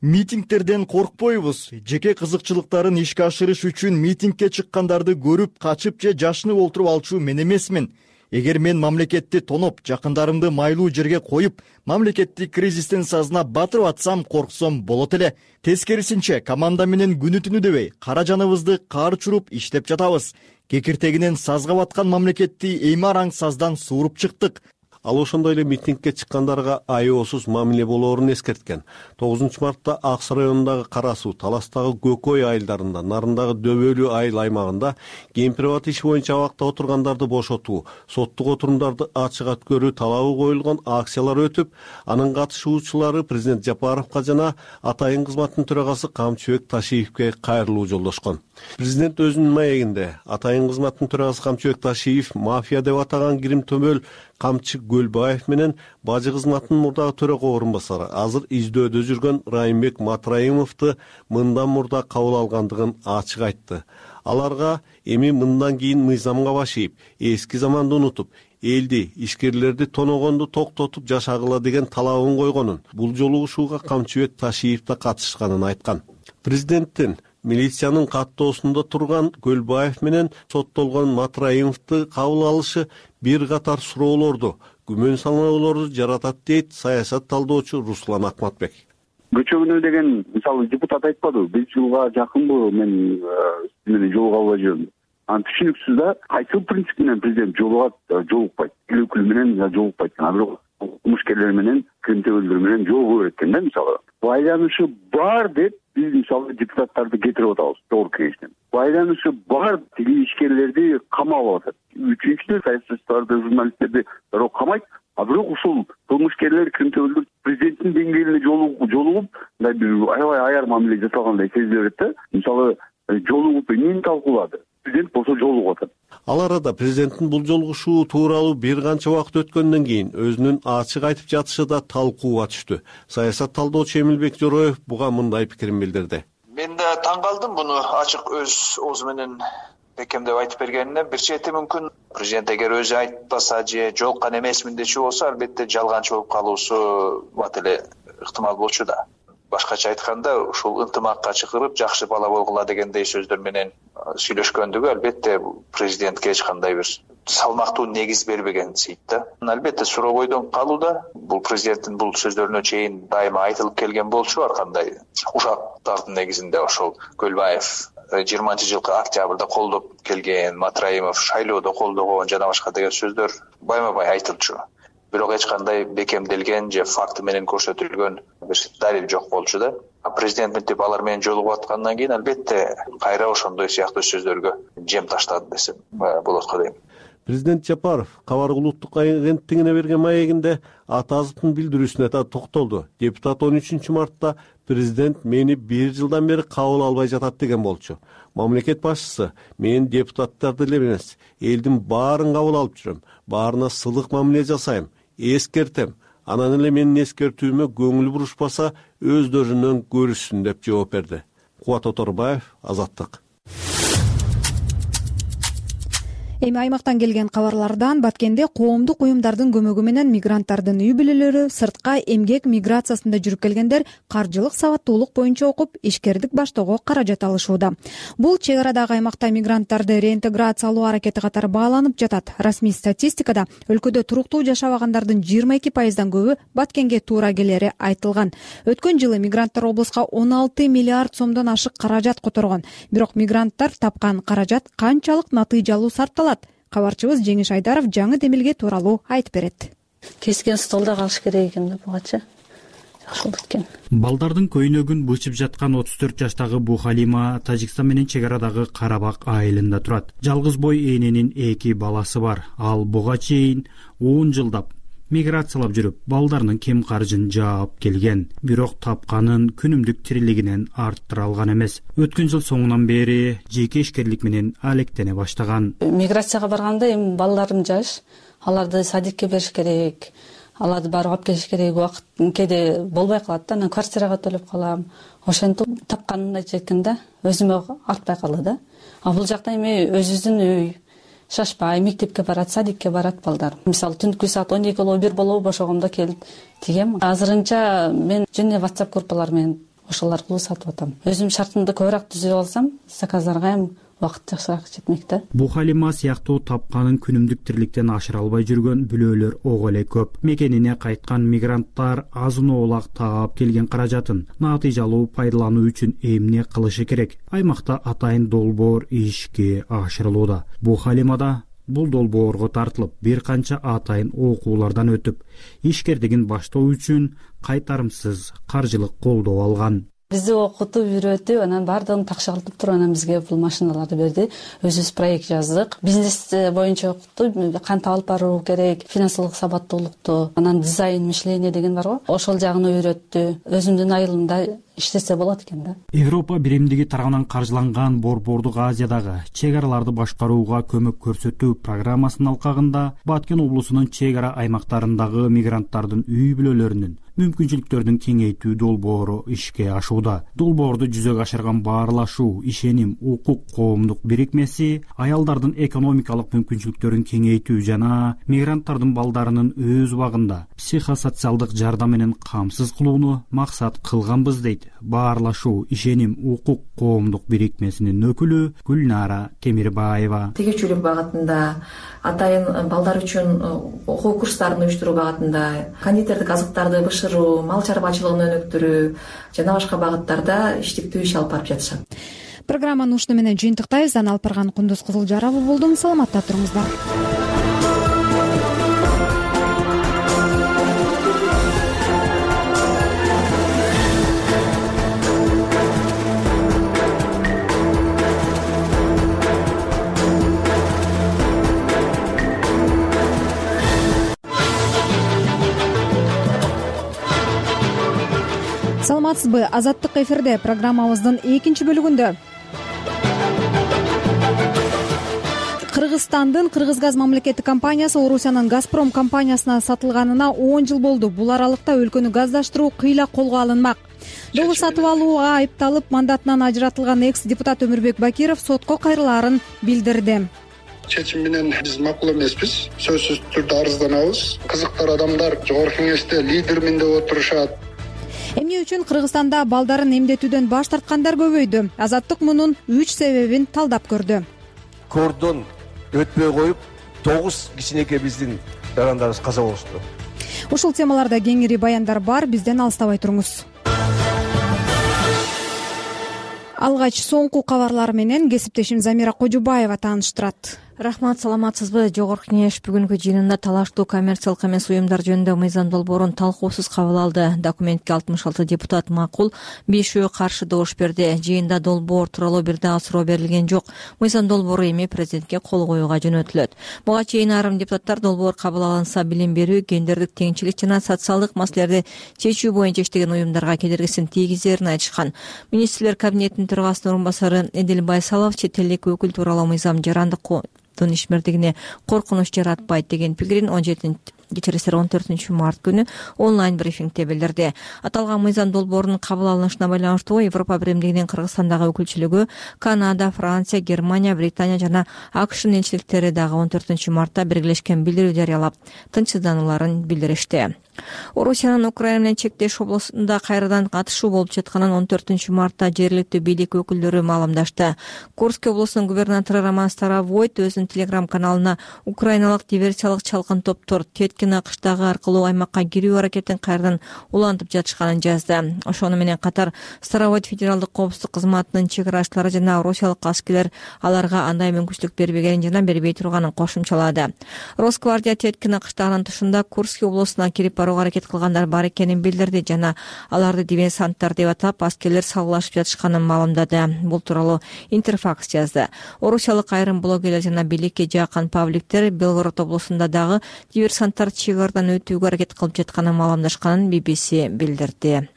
Митингтерден коркпойбуз. Жеке кызыкчылыктарын ишке ашырыш үчүн митингке чыккандарды көрүп, качып же жашынып олтуруп алчу мен эмесмин. Эгер мен мамлекетти тоноп, жакындарымды майлуу жерге коюп, мамлекеттик кризистин сазына батырып атсам, корксом болот эле. Тескерисинче, команда менен күнү түнү дебей, кара жаныбызды кар учуруп иштеп жатабыз. Кекиртегинен сазга баткан мамлекетти эми араң саздан сууруп чыктык. Ал ошондой эле митингке чыккандарга аеосуз мамиле болоорун эскерткен. 9 мартта Аксы районундагы Кара Суу, Таластагы Көкөй айылдарында, Нарындагы Дөбөлүү айыл аймагында Кемпироват иши боюнча абакта отургандарды бошотуу, соттук отурумдарды ачык өткөрүү талабы коюлган акциялар өтүп, анын катышуучулары президент Жапаровго жана Атайын кызматтын төрагасы Камчыбек Ташиевке кайрылуу жолдошкон. Президент өзүнүн маегинде Атайын кызматтын төрагасы Камчыбек Ташиев мафия деп атаган Кирим-Төбөл Камчы Гөлбаев менен бажы кызматтын мурдагы төрага орун басары азыр издөөдө жүргөн Райымбек Матраимовду мындан мурда кабыл алгандыгын ачык айтты. Аларга эми мындан кийин мыйзамга баш ийип, эски заманды унутуп, элди, ишкерлерди тоногонду токтотуп жашагыла деген талабын койгонун, бул жолу ушуга Камчыбек Ташиев да катышканын айткан. Президенттин милициянын каттоосунда турган Гөлбаев менен соттолгон Матраимовду кабыл алышы бир катар суроолорду, күмөн саноолорду жаратат дейт саясат талдоочу Руслан Акматбек. көчөгөнө деген мисалы депутат айтпадыбы, 5 жылга жакынбы мен менен жолуга албай жүрөм. Анан түшүнүксүз да кайсыл принцип менен президент жолукпайт, эл өкүлү менен жолукпайт экен, а бирок кылмышкерлер менен, кримтөбөлдөр менен жолугу берет экен да. Мисалы байланышы бар деп биз мисалы депутаттарды кетирип атабыз жогорку кеңештен. Байланышы бар тиги ишкерлерди камап атат. Үчүнчүдөн саясатчыларды, журналисттерди дароо камайт. А бирок ушул кылмышкерлер, кримтөбөлдөр президенттин деңгээлине жолугуп, мындай бир аябай аяр мамиле жасалгандай сезиле берет да. Мисалы жолугуп эмнени талкуулады? Президент болсо жолугуп атат. Ал арада президенттин бул жолугушуу тууралуу бир канча убакыт өткөндөн кийин өзүнүн ачык айтып жатышы да талкууга түштү. Саясат талдоочу Эмилбек Жороев буга мындай пикирин билдирди. Мен да таң калдым буну ачык өз оозу менен бекемдеп айтып бергенине. Бир чети мүмкүн президент эгер өзү айтпаса же жолуккан эмесмин дечү болсо, албетте жалганчы болуп калуусу бат эле ыктымал болчу да. Башкача айтканда, ушул ынтымакка чакырып, жакшы бала болгула дегендей сөздөр менен сүйлөшкөндүгү албетте президентке эч кандай бир салмактуу негиз бербеген сейт да. Албетте суроо бойдон калууда. Бул президенттин бул сөздөрүнө чейин дайыма айтылып келген болчу, ар кандай ушактардын негизинде ошол Көлбаев 20-жылкы октябрда колдоп келген, Матраимов шайлоодо колдогон жана башка деген сөздөр байма-бай айтылчу. Бирок эч кандай бекемделген же факты менен көрсөтүлгөн бир далил жок болчу да. Президент мынтип алар менен жолугуп аткандан кийин албетте кайра ошондой сыяктуу сөздөргө жем таштады десем болот го дейм. Президент Жапаров Кабар улуттук агенттигине берген маегинде Атазовдун билдирүүсүнө да токтолду. Депутат 13 мартта президент мени 1 жылдан бери кабыл албай жатат деген болчу. Мамлекет башчысы мен депутаттарды эле эмес, элдин баарын кабыл алып жүрөм, баарына сылык мамиле жасайм, эскертем. Анан эле менин эскертүүмө көңүл бурушпаса, өздөрүнөн көрүшсүн деп жооп берди. Кубат Оторбаев, Азаттык. Эми аймактан келген кабарлардан Баткенде коомдук уюмдардын көмөгү менен мигранттардын үй бүлөлөрү сыртка эмгек миграциясында жүрүп келгендер каржылык сабаттуулук боюнча окуп, ишкердик баштоого каражат алышууда. Бул чек арадагы аймакта мигранттарды реинтеграциялоо аракети катары бааланып жатат. Расмий статистикада өлкөдө туруктуу жашабагандардын 22%дан көбү Баткенге туура келери айтылган. Өткөн жылы мигранттар облуска 16 миллиард сомдон ашык каражат которгон. Бирок мигранттар тапкан каражат канчалык натыйжалуу сарпталат? Кабарчыбыз Жеңиш Айдаров жаңы демилге тууралуу айтып берет. Кескен столдо калыш керек экен да бугача. Жакшы болду экен. Балдардын көйнөгүн бычып жаткан 34 жаштагы Бухалима Тажикстан менен чек арадагы Карабак айылында турат. Жалгыз бой эненин 2 баласы бар. Ал буга чейин 10 жылдап миграциялап жүрүп, балдарынын кем каржын жаап келген. Бирок тапканын күнүмдүк тирилигинен арттыра алган эмес. Өткөн жыл соңунан бери жеке ишкерлик менен алектене баштаган. Миграцияга барганда эми балдарым жаш, аларды садикке бериш керек, аларды барып алып келиш керек, убакыт кээде болбой калат да, анан квартирага төлөп калам. Ошентип тапканымды айткан да, өзүмө артпай калды да. А бул жакта эми өзүбүздүн үй шашпай, мектепке барат, садикке барат балдар. Мисалы түнкү саат 12-1 болобу бошогондо келип тигем. Азырынча мен жана WhatsApp группалар менен ошол аркылуу сатып атам. Өзүм шартымды көбүрөөк түзүп алсам, заказдарга эми убакыт жакшыраак жетмек да. Бухалима сыяктуу тапканын күнүмдүк тирликтен ашыра албай жүргөн бүлөлөр ого эле көп. Мекенине кайткан мигранттар азын-оолак таап келген каражатын натыйжалуу пайдалануу үчүн эмне кылышы керек? Аймакта атайын долбоор ишке ашырылууда. Бухалимада бул долбоорго тартылып, бир канча атайын окуулардан өтүп, ишкердигин баштоо үчүн кайтарымсыз каржылык колдоо алган. Бизди окутуп, үйрөтүп, анан баардыгын такшалтып туруп, анан бизге бул машиналарды берди. Өзүбүз проект жаздык. Бизнес боюнча окутту, кантип алып баруу керек, финансылык сабаттуулукту, анан дизайн мышление деген бар го. Ошол жагын үйрөттү. Өзүмдүн айылымда иштесе болот экен да. Европа биримдиги тарабынан каржыланган Борбордук Азиядагы чек араларды башкарууга көмөк көрсөтүү программасынын алкагында Баткен облусунун чек ара аймактарындагы мигранттардын үй бүлөлөрүнүн мүмкүнчүлүктөрүн кеңейтүү долбоору ишке ашууда. Долбоорду жүзөгө ашырган Баарлашуу, Ишеним, Укук коомдук бирикмеси аялдардын экономикалык мүмкүнчүлүктөрүн кеңейтүү жана мигранттардын балдарынын өз убагында психосоциалдык жардам менен камсыз кылууну максат кылганбыз дейт. дейт Баарлашуу ишеним укук коомдук бирикмесинин өкүлү Гүлнара Темирбаева. Тегерчүүлүк багытында, атайын балдар үчүн окуу курстарын уюштуруу багытында, кондитердик азыктарды бышыруу, мал чарбачылыгын өнүктүрүү жана башка багыттарда иштиктүү иш алып барып жатышат. Программаны ушуну менен жыйынтыктайбыз. Алпырган Кундуз Кызылжарова болдум. Саламатта туруңуздар. Саламатсызбы? Азаттык эфирде программабыздын экинчи бөлүгүндө. Кыргызстандын Кыргызгаз мамлекеттик компаниясы Орусиянын Газпром компаниясына сатылганына 10 жыл болду. Бул аралыкта өлкөнү газдаштыруу кыйла колго алынмак. Долу сатып алууга айыпталып, мандатынан ажыратылган экс-депутат Өмүрбек Бакиров сотко кайрылаарын билдирди. Чечим менен биз макул эмеспиз. Сөзсүз түрдө арызданабыз. Кызыктар адамдар жогорку кеңеште лидермин деп отурушат. Эмне үчүн Кыргызстанда балдарын эмдетүүдөн баш тарткандар көбөйдү? Азаттык мунун 3 себебин талдап көрдү. Кордон өтпөй коюп 9 кичинекей биздин жарандарыбыз каза болушту. Ушул темаларда кеңири баяндар бар, бизден алыстабай туруңуз. Алгач соңку кабарлар менен кесиптешим Замира Кожубаева тааныштырат. Рахмат, саламатсызбы? Жогорку кеңеш бүгүнкү жыйынында талаштуу коммерциялык эмес уюмдар жөнүндө мыйзам долбоорун талкуусуз кабыл алды. Документке 66 депутат макул, 5 каршы добуш берди. Жыйында долбоор тууралуу бир дагы суроо берилген жок. Мыйзам долбоору эми президентке кол коюуга жөнөтүлөт. Буга чейин айрым депутаттар долбоор кабыл алынса билим берүү, гендердик теңчилик жана социалдык маселелерди чечүү боюнча иштеген уюмдарга кедергисин тийгизерин айтышкан. Министрлер кабинетинин төрагасынын орун басары Эдил Байсалов чет элдик өкүл тууралуу мыйзам жарандык ишмердигине коркунуч жаратпайт деген пикирин 14 март күнү онлайн брифингде билдирди. Аталган мыйзам долбоорунун кабыл алынышына байланыштуу Европа биримдигинин Кыргызстандагы өкүлчүлүгү Канада, Франция, Германия, Британия жана АКШнын элчиликтери дагы 14 мартта биргелешкен билдирүү жарыялап, тынчсызданууларын билдиришти. Орусиянын Украина менен чектеш областында кайрадан катышуу болуп жатканын 14 мартта жергиликтүү бийлик өкүлдөрү маалымдашты. Курск облусунун губернатору Роман Старовойт өзүнүн телеграм-каналына украиналык диверсиялык чалкын топтор Теткина кыштагы аркылуу аймакка кирүү аракетин кайрадан улантып жатышканын жазды. Ошону менен катар Старовойт федералдык коопсуздук кызматынын чек арачылары жана орусиялык аскерлер аларга андай мүмкүнчүлүк бербегенин жана бербей турганын кошумчалады. Росгвардия Теткина кыштагынын тышында Курск облусуна кирип барууга аракет кылгандар бар экенин билдирди жана аларды диверсанттар деп атап, аскерлер салгылашып жатышканын маалымдады. Бул тууралуу Интерфакс жазды. Орусиялык айрым блогерлер жана бийликке жакын пабликтер Белгород облусунда дагы диверсанттар чек ардан өтүүгө аракет кылып жатканын маалымдашканын BBC билдирди.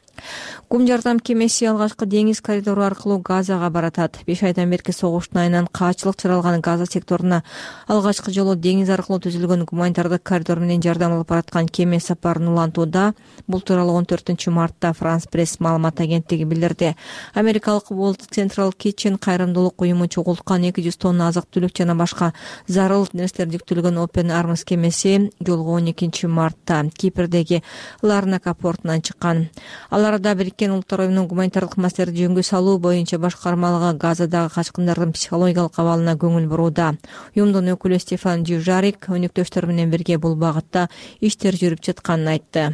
Кум жардам кемеси алгачкы деңиз коридору аркылуу Газага баратат. 5 айдан берки согуштун айынан каачылык чыралган Газа секторуна алгачкы жолу деңиз аркылуу түзүлгөн гуманитардык коридор менен жардам алып бараткан кеме сапарын улантууда. Бул тууралуу 14 мартта Франс Пресс маалымат агенттиги билдирди. Америкалык World Central Kitchen кайрымдуулук уюму чогулткан 200 тонна азык-түлүк жана башка зарыл нерселер жүктөлгөн Open Arms кемеси жолго 12 мартта Кипрдеги Ларнака портунан чыккан. Аларда Бириккен Улуттар уюмунун гуманитардык маселелерди жөнгө салуу боюнча башкармалыгы Газадагы качкындардын психологиялык абалына көңүл бурууда. Уюмдун өкүлү Стефан Дюжарик өнөктөштөр менен бирге бул багытта иштер жүрүп жатканын айтты.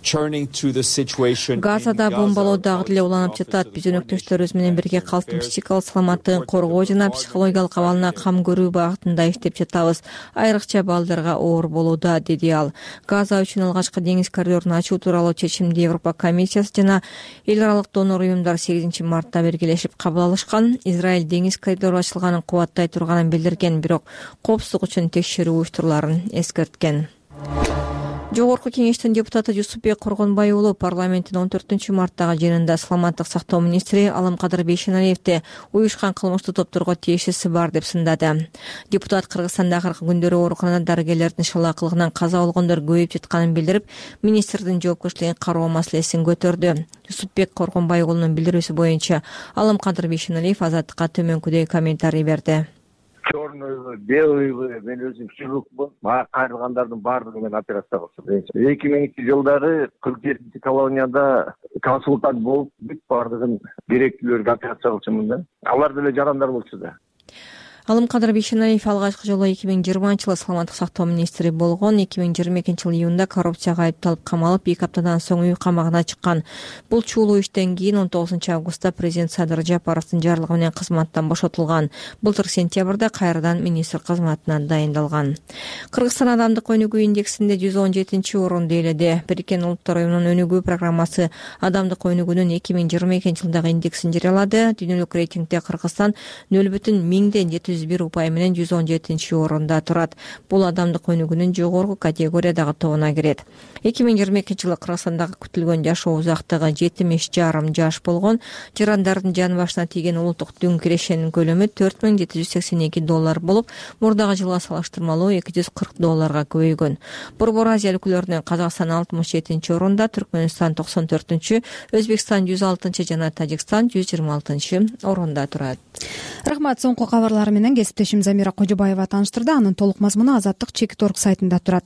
Газада бомбалоо дагы деле уланып жатат. Биз өнөктөштөрүбүз менен бирге калктын психикалык саламаттыгын коргоо жана психологиялык абалына кам көрүү багытында иштеп жатабыз. Айрыкча балдарга оор болууда, деди ал. Газа үчүн алгачкы деңиз коридорун ачуу тууралуу чечимди Европа комиссиясы жана эл аралык донор уюмдар 8 мартта биргелешип кабыл алышкан. Израиль деңиз коридору ачылганын кубаттай турганын билдирген, бирок коопсуздук үчүн текшерүү уюштуруларын эскерткен. Жогорку кеңештин депутаты Жусупбек Коргонбай уулу парламенттин 14 марттагы жыйынында саламаттык сактоо министри Аламкадыр Бейшеналиевди уюшкан кылмыштуу топторго тиешеси бар деп сындады. Депутат Кыргызстанда акыркы күндөрү ооруканада дарыгерлердин шалаакылыгынан каза болгондор көбөйүп жатканын билдирип, министрдин жоопкерчилигин кароо маселесин көтөрдү. Жусупбек Коргонбай уулунун билдирүүсү боюнча Аламкадыр Бейшеналиев Азаттыкка төмөнкүдөй комментарий берди. черныйбы белыйбы мен өзүм хирургмун. Мага кайрылгандардын баардыгы мен операция кылышым. 2002-жылдары 47 колонияда консультант болуп бүт баардыгын керектүүлөргө операция кылышымын да. Алар деле жарандар болчу да. Алымкадыр Бейшенаев алгачкы жолу 2020-жылы саламаттык сактоо министри болгон. 2022-жылы июнда коррупцияга айыпталып камалып 2 аптадан соң үй камагына чыккан. Бул чуулуу иштен кийин 19-августта президент Садыр Жапаровдун жарлыгы менен кызматтан бошотулган. Былтыр сентябрда кайрадан министр кызматына дайындалган. Кыргызстан адамдык өнүгүү индексинде 117-орунду ээледи. Бириккен Улуттар Уюмунун өнүгүү программасы адамдык өнүгүүнүн 2022-жылдагы индексин жарыялады. Дүйнөлүк рейтингде Кыргызстан 0,701 упай менен 117-орунда турат. Бул адамдык өнүгүүнүн жогорку категориядагы тобуна кирет. 2022-жылы Кыргызстандагы күтүлгөн жашоо узактыгы 7,5 жаш болгон. Жарандардын жан башына тийген улуттук дүң кирешенин көлөмү $4782 болуп, мурдагы жылга салыштырмалуу $240 көбөйгөн. Борбор Азия өлкөлөрүнөн Казакстан 67-орунда, Түркмөнстан 94-чү, Өзбекстан 106-чы жана Тажикстан 126-орунда турат. Рахмат. Соңку кабарлар менен кесиптешим Замира Кожобаева тааныштырды. Анын толук мазмуну Азаттык.org сайтында турат.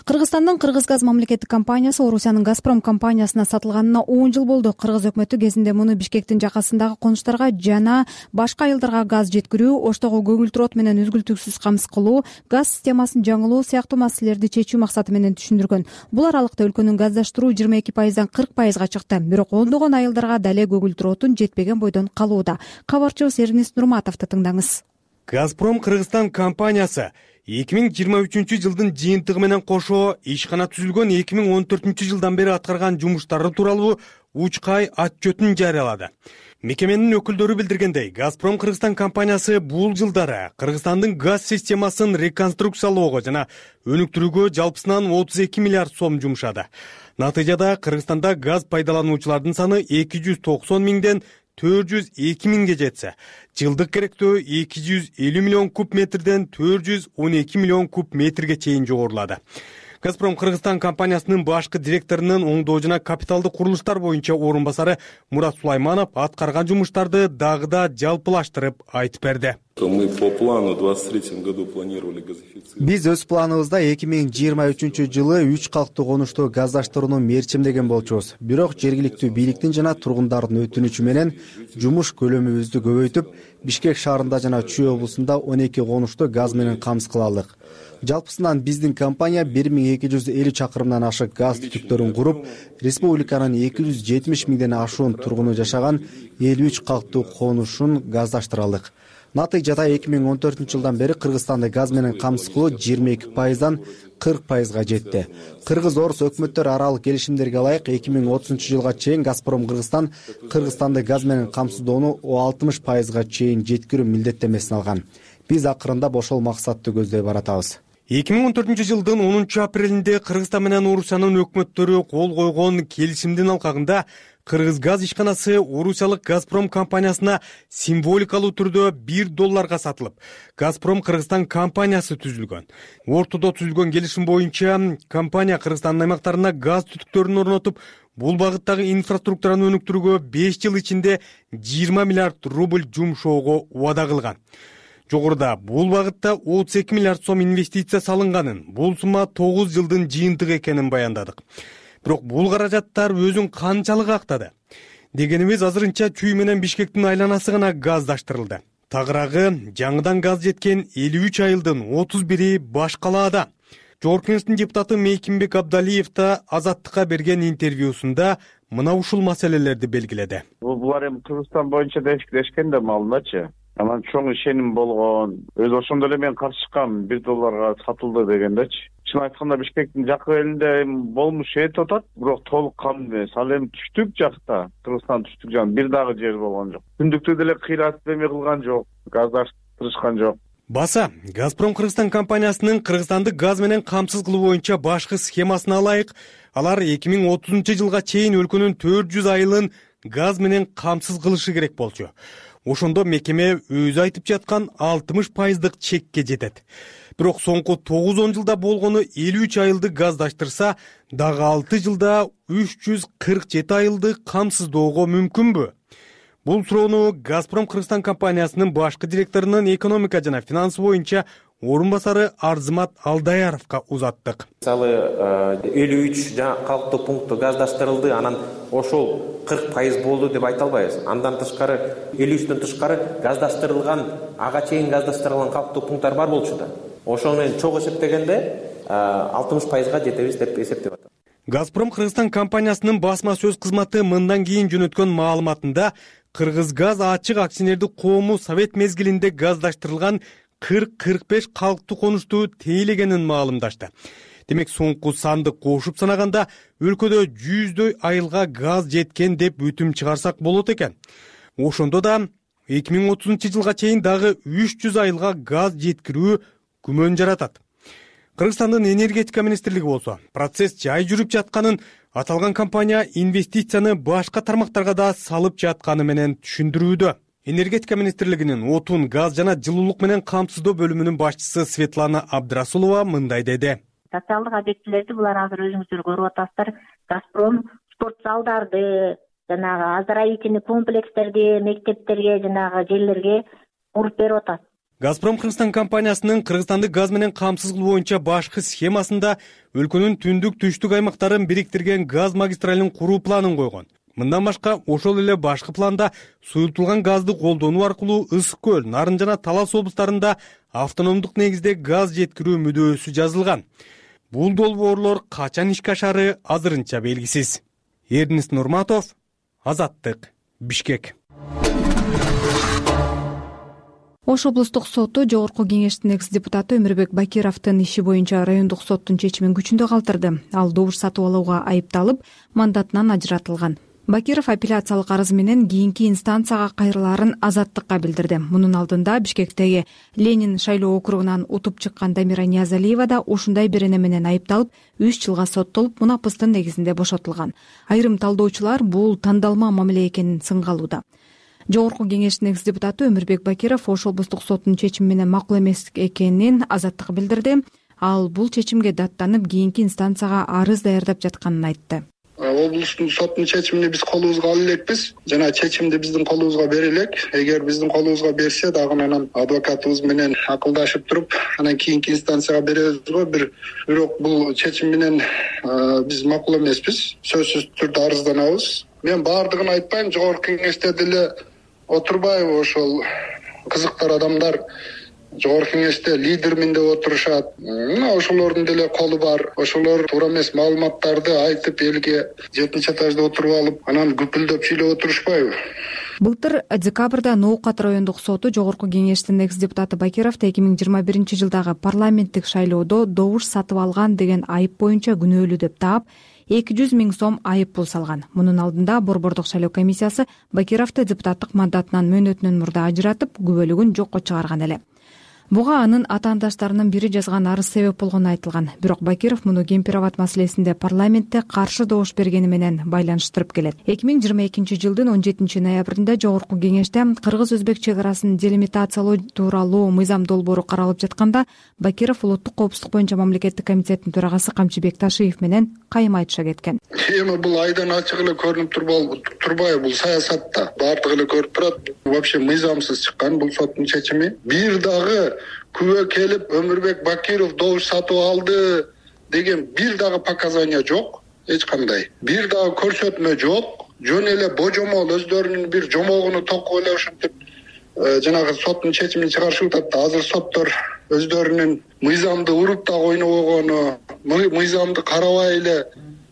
Кыргызстандын Кыргызгаз мамлекеттик компаниясы Орусиянын Газпром компаниясына сатылганына 10 жыл болду. Кыргыз өкмөтү кезинде муну Бишкектин жакасындагы конуштарга жана башка айылдарга газ жеткирүү, оштогу көгүлтүр от менен үзгүлтүксүз камсыз кылуу, газ системасын жаңылоо сыяктуу маселелерди чечүү максаты менен түшүндүргөн. Бул аралыкта өлкөнүн газдаштыруу 22%дан 40%га чыкты. Бирок ондогон айылдарга дале көгүлтүр отун жетпеген бойдон калууда. Кабарчыбыз Эрнис Нурматовду тыңдаңыз. Газпром Кыргызстан компаниясы 2023-жылдын жыйынтыгы менен кошо ишкана түзүлгөн 2014-жылдан бери аткарган жумуштары тууралуу учкай отчетун жарыялады. Мекеменин өкүлдөрү билдиргендей, Газпром Кыргызстан компаниясы бул жылдары Кыргызстандын газ системасын реконструкциялоого жана өнүктүрүүгө жалпысынан 32 миллиард сом жумшады. Натыйжада Кыргызстанда газ пайдалануучулардын саны 290 миңден 402 миңге жетсе, жылдык керектөө 250 миллион куб метрден 412 миллион куб метрге чейин жогорулады. Газпром Кыргызстан компаниясынын башкы директорунун оңдоо жана капиталдык курулуштар боюнча орун басары Мурат Сулайманов аткарган жумуштарды дагы да жалпылаштырып айтып берди. Биз өз планыбызда 2023-жылы 3 калктуу конушту газдаштырууну мерчимдеген болчубуз. Бирок жергиликтүү бийликтин жана тургундардын өтүнүчү менен жумуш көлөмүбүздү көбөйтүп, Бишкек шаарында жана Чүй облусунда 12 конушту газ менен камсыз кыла алдык. Жалпысынан биздин компания 1250 чакырымдан ашык газ түтүктөрүн куруп, республиканын 270 миңден ашуун тургуну жашаган 53 калктуу конушун газдаштыра алдык. Натыйжада 2014-жылдан бери Кыргызстанды газ менен камсыз кылуу 22%дан 40%га жетти. Кыргыз-орус өкмөттөр аралык келишимдерге ылайык 2030-жылга чейин Газпром Кыргызстан Кыргызстанды газ менен камсыздоону 60%га чейин жеткирүү милдеттемесин алган. Биз акырында ошол максатты көздөй баратабыз. 2014-жылдын 10-апрелинде Кыргызстан менен Орусиянын өкмөттөрү кол койгон келишимдин алкагында Кыргызгаз ишканасы Орусиялык Газпром компаниясына символикалуу түрдө $1 сатылып, Газпром Кыргызстан компаниясы түзүлгөн. Ортодо түзүлгөн келишим боюнча компания Кыргызстандын аймактарына газ түтүктөрүн орнотуп, бул багыттагы инфраструктураны өнүктүрүүгө 5 жыл ичинде 20 миллиард рубль жумшоого убада кылган. Жогоруда бул багытта 32 миллиард сом инвестиция салынганын, бул сумма 9 жылдын жыйынтыгы экенин баяндадык. Бирок бул каражаттар өзүн канчалык актады? Дегенибиз азырынча Чүй менен Бишкектин айланасы гана газдаштырылды. Тагыраагы жаңыдан газ жеткен 53 айылдын 31-и баш калаада. Жогорку Кеңештин депутаты Мейкимбек Абдалиев да Азаттыкка берген интервьюсунда мына ушул маселелерди белгиледи. Булар эми Кыргызстан боюнча дешкен да малыначы. Анан чоң ишеним болгон. Өз ошондо эле мен каршы чыккам, $1 сатылды дегендечи. Чын айтканда Бишкектин жакы элинде болмушу этип атат, бирок толук кандуу эмес. Ал эми түштүк жакта, Кыргызстан түштүк жагы бир дагы жер болгон жок. Түндүктү деле кыйратып эме кылган жок, газдаштырышкан жок. Баса, Газпром Кыргызстан компаниясынын Кыргызстанды газ менен камсыз кылуу боюнча башкы схемасына ылайык, алар 2030-жылга чейин өлкөнүн 400 айылын газ менен камсыз кылышы керек болчу. Ошондо мекеме өзү айтып жаткан 60%дык чекке жетет. Бирок соңку 9-10 жылда болгону 53 айылды газдаштырса, дагы 6 жылда 347 айылды камсыздоого мүмкүнбү? Бул суроону Газпром Кыргызстан компаниясынын башкы директорунун экономика жана финанс боюнча орун басары Арзымат Алдаяровго узаттык. Мисалы 53 калктуу пункт газдаштырылды, анан ошол 40% болду деп айта албайбыз. Андан тышкары 53төн тышкары газдаштырылган, ага чейин газдаштырылган калктуу пункттар бар болчу да. Ошол менен чогуу эсептегенде 60%га жетебиз деп эсептеп атат. Газпром Кыргызстан компаниясынын басма сөз кызматы мындан кийин жөнөткөн маалыматында Кыргызгаз ачык акционердик коому совет мезгилинде газдаштырылган 40-45 калктуу конушту тейлегенин маалымдашты. Демек соңку санды кошуп санаганда өлкөдө 100дөй айылга газ жеткен деп бүтүм чыгарсак болот экен. Ошондо да 2030-жылга чейин дагы 300 айылга газ жеткирүү күмөн жаратат. Кыргызстандын энергетика министрлиги болсо процесс жай жүрүп жатканын, аталган компания инвестицияны башка тармактарга да салып жатканы менен түшүндүрүүдө. Энергетика министрлигинин отун, газ жана жылуулук менен камсыздоо бөлүмүнүн башчысы Светлана Абдрасулова мындай деди. Социалдык объектилерди булар азыр өзүңүздөр көрүп атасыздар. Газпром спорт залдарды, жанагы оздоровительный комплекстерди, мектептерге, жанагы жерлерге куруп берип атат. Газпром Кыргызстан компаниясынын Кыргызстанды газ менен камсыз кылуу боюнча башкы схемасында өлкөнүн түндүк-түштүк аймактарын бириктирген газ магистралын куруу планын койгон. Мындан башка ошол эле башкы планда суюлтулган газды колдонуу аркылуу Ысык көл, Нарын жана Талас облустарында автономдук негизде газ жеткирүү мүдөөсү жазылган. Бул долбоорлор качан ишке ашары азырынча белгисиз. Эрдинис Нурматов, Азаттык, Бишкек. Ош облустук соту жогорку кеңештин экс-депутаты Өмүрбек Бакировдун иши боюнча райондук соттун чечимин күчүндө калтырды. Ал добуш сатып алууга айыпталып, мандатынан ажыратылган. Бакиров апелляциялык арыз менен кийинки инстанцияга кайрылаарын Азаттыкка билдирди. Мунун алдында Бишкектеги Ленин шайлоо округунан утуп чыккан Дамира Ниязалиева да ушундай бир эне менен айыпталып, 3 жылга соттолуп, мунапыстын негизинде бошотулган. Айрым талдоочулар бул тандалма мамиле экенин сынгалууда. Жогорку кеңештин экс-депутаты Өмүрбек Бакиров Ош облустук соттун чечими менен макул эмес экенин Азаттык билдирди. Ал бул чечимге даттанып, кийинки инстанцияга арыз даярдап жатканын айтты. Облустун соттун чечимин биз колубузга ала элекпиз жана чечимди биздин колубузга бере элек. Эгер биздин колубузга берсе дагы анан адвокатыбыз менен акылдашып туруп, анан кийинки инстанцияга беребиз го. Бирок бул чечим менен биз макул эмеспиз. Сөзсүз түрдө арызданабыз. Мен баардыгын айтпайм, жогорку кеңеште деле отурбайбы ошол кызыктар адамдар жогорку кеңеште лидермин деп отурушат. Ошолордун деле колу бар. Ошолор туура эмес маалыматтарды айтып элге 7-этажда отуруп алып, анан күпүлдөп сүйлөп отурушпайбы? Былтыр декабрда Ноокат райондук соту жогорку кеңештин экс-депутаты Бакировду 2021-жылдагы парламенттик шайлоодо добуш сатып алган деген айып боюнча күнөөлүү деп таап, 200 000 сом айып пул салган. Мунун алдында Борбордук шайлоо комиссиясы Бакировду депутаттык мандатынан мөөнөтүнөн мурда ажыратып, күбөлүгүн жокко чыгарган эле. Буга анын атаандаштарынын бири жазган арыз себеп болгону айтылган. Бирок Бакиров муну кемпир-абад маселесинде парламентте каршы добуш бергени менен байланыштырып келет. 2022-жылдын 17 ноябрында жогорку кеңеште кыргыз-өзбек чек арасын делимитациялоо тууралуу мыйзам долбоору каралып жатканда Бакиров улуттук коопсуздук боюнча мамлекеттик комитеттин төрагасы Камчыбек Ташиев менен кайым айтыша кеткен. Эми бул айдан ачык эле көрүнүп турбайбы? Бул саясатта баардыгы эле көрүп турат. Вообще мыйзамсыз чыккан бул соттун чечими. Бир дагы күбө келип Өмүрбек Бакиров добуш сатып алды деген бир дагы показания жок, эч кандай. Бир дагы көрсөтмө жок. Жөн эле божомол өздөрүнүн бир жомогуну токуп эле ушинтип жанагы соттун чечимин чыгарышып атат. Азыр соттор өздөрүнүн мыйзамды уруп да койнобогону, мыйзамды карабай эле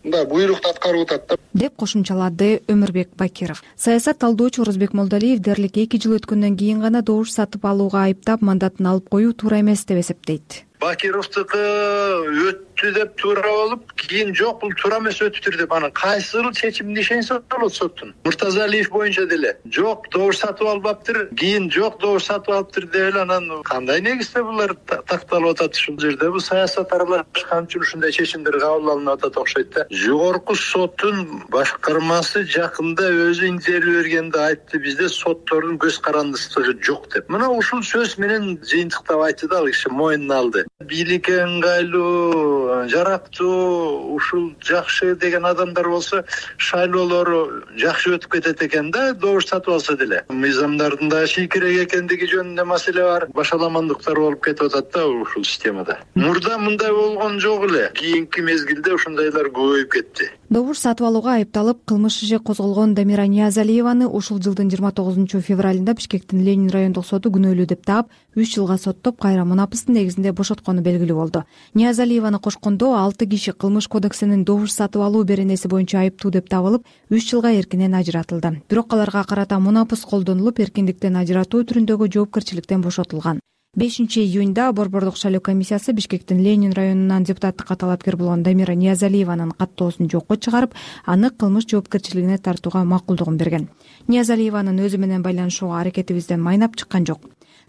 мындай буйрукту аткарып атат деп кошумчалады Өмүрбек Бакиров. Саясат талдоочу Орозбек Молдалиев дээрлик 2 жыл өткөндөн кийин гана добуш сатып алууга айыптап, мандатын алып коюу туура эмес деп эсептейт. Бакировдуку өттү деп туура болуп, кийин жок бул туура эмес өтүптүр деп анан кайсыл чечимди ишенсе болот соттун. Муртазалиев боюнча деле жок добуш сатып албаптыр, кийин жок добуш сатып алыптыр деп эле анан кандай негизде булар такталып атат ушул жерде? Бул саясат аралашкан үчүн ушундай чечимдер кабыл алынып атат окшойт да. Жогорку соттун башкармасы жакында өзү интервью бергенде айтты, бизде соттордун көз карандысыздыгы жок деп. Мына ушул сөз менен жыйынтыктап айтты да, ал киши моюнуна алды. Бийликке ыңгайлуу жарактуу, ушул жакшы деген адамдар болсо шайлоолору жакшы өтүп кетет экен да, добуш сатып алса деле. Мыйзамдардын да чийкирээк экендиги жөнүндө маселе бар. Башаламандыктар болуп кетип атат да ушул системада. Мурда мындай болгон жок эле. Кийинки мезгилде ушундайлар көбөйүп кетти. Добуш сатып алууга айыпталып кылмыш иши козголгон Дамира Ниязалиеваны ушул жылдын 29 февралында Бишкектин Ленин райондук соту күнөөлүү деп таап 3 жылга соттоп, кайра мунапыстын негизинде бошоткону белгилүү болду. Ниязалиеваны кошкондо 6 киши кылмыш кодексинин добуш сатып алуу беренеси боюнча айыптуу деп табылып, 3 жылга эркинен ажыратылды. Бирок аларга карата мунапыс колдонулуп, эркиндиктен ажыратуу түрүндөгү жоопкерчиликтен бошотулган. 5-июнда Борбордук шайлоо комиссиясы Бишкектин Ленин районунан депутаттыкка талапкер болгон Дамира Ниязалиеванын каттоосун жокко чыгарып, аны кылмыш жоопкерчилигине тартууга макулдугун берген. Ниязалиеванын өзү менен байланышууга аракетибизден майнап чыккан жок.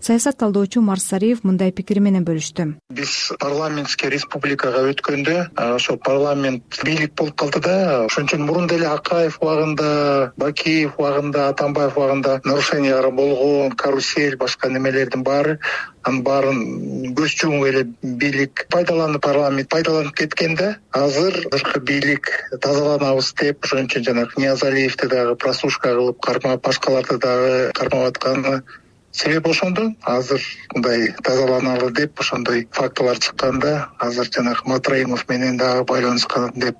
Саясат талдоочу Марс Сариев мындай пикири менен бөлүштү. Биз парламентский республикага өткөндө ошо парламент бийлик болуп калды да. Ошон үчүн мурун деле Акаев убагында, Бакиев убагында, Атамбаев убагында нарушениялар болгон, карусель, башка немелердин баары, анын баарын көз жумуп эле бийлик пайдаланып, парламент пайдаланып кеткен да. Азыркы бийлик тазаланабыз деп, ошон үчүн жанагы Ниязалиевди дагы прослушка кылып кармап, башкаларды дагы кармап атканы себеп ошондо. Азыр мындай тазаланалы деп ошондой фактылар чыкканда, азыр жанагы Матраимов менен дагы байланышкан деп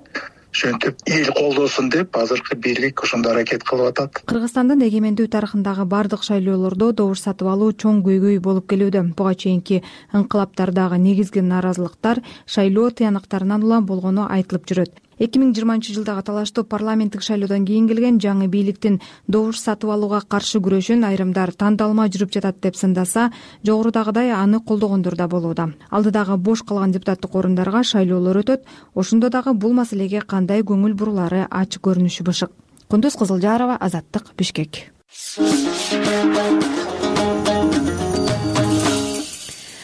ошентип эл колдосун деп азыркы бийлик ошондой аракет кылып атат. Кыргызстандын эгемендүү тарыхындагы бардык шайлоолордо добуш сатып алуу чоң көйгөй болуп келүүдө. Буга чейинки ыңкылаптардагы негизги нааразылыктар шайлоо тыянактарынан улам болгону айтылып жүрөт. 2020 жылдагы талаштуу парламенттик шайлоодон кийин келген жаңы бийликтин добуш сатып алууга каршы күрөшүн айрымдар тандалма жүрүп жатат деп сындаса, жогорудагыдай аны колдогондор да болууда. Алдыдагы бош калган депутаттык орундарга шайлоолор өтөт. Ошондо дагы бул маселеге кандай көңүл бурулары ачык көрүнүшү бышык. Кундуз Кызылжарова, Азаттык, Бишкек.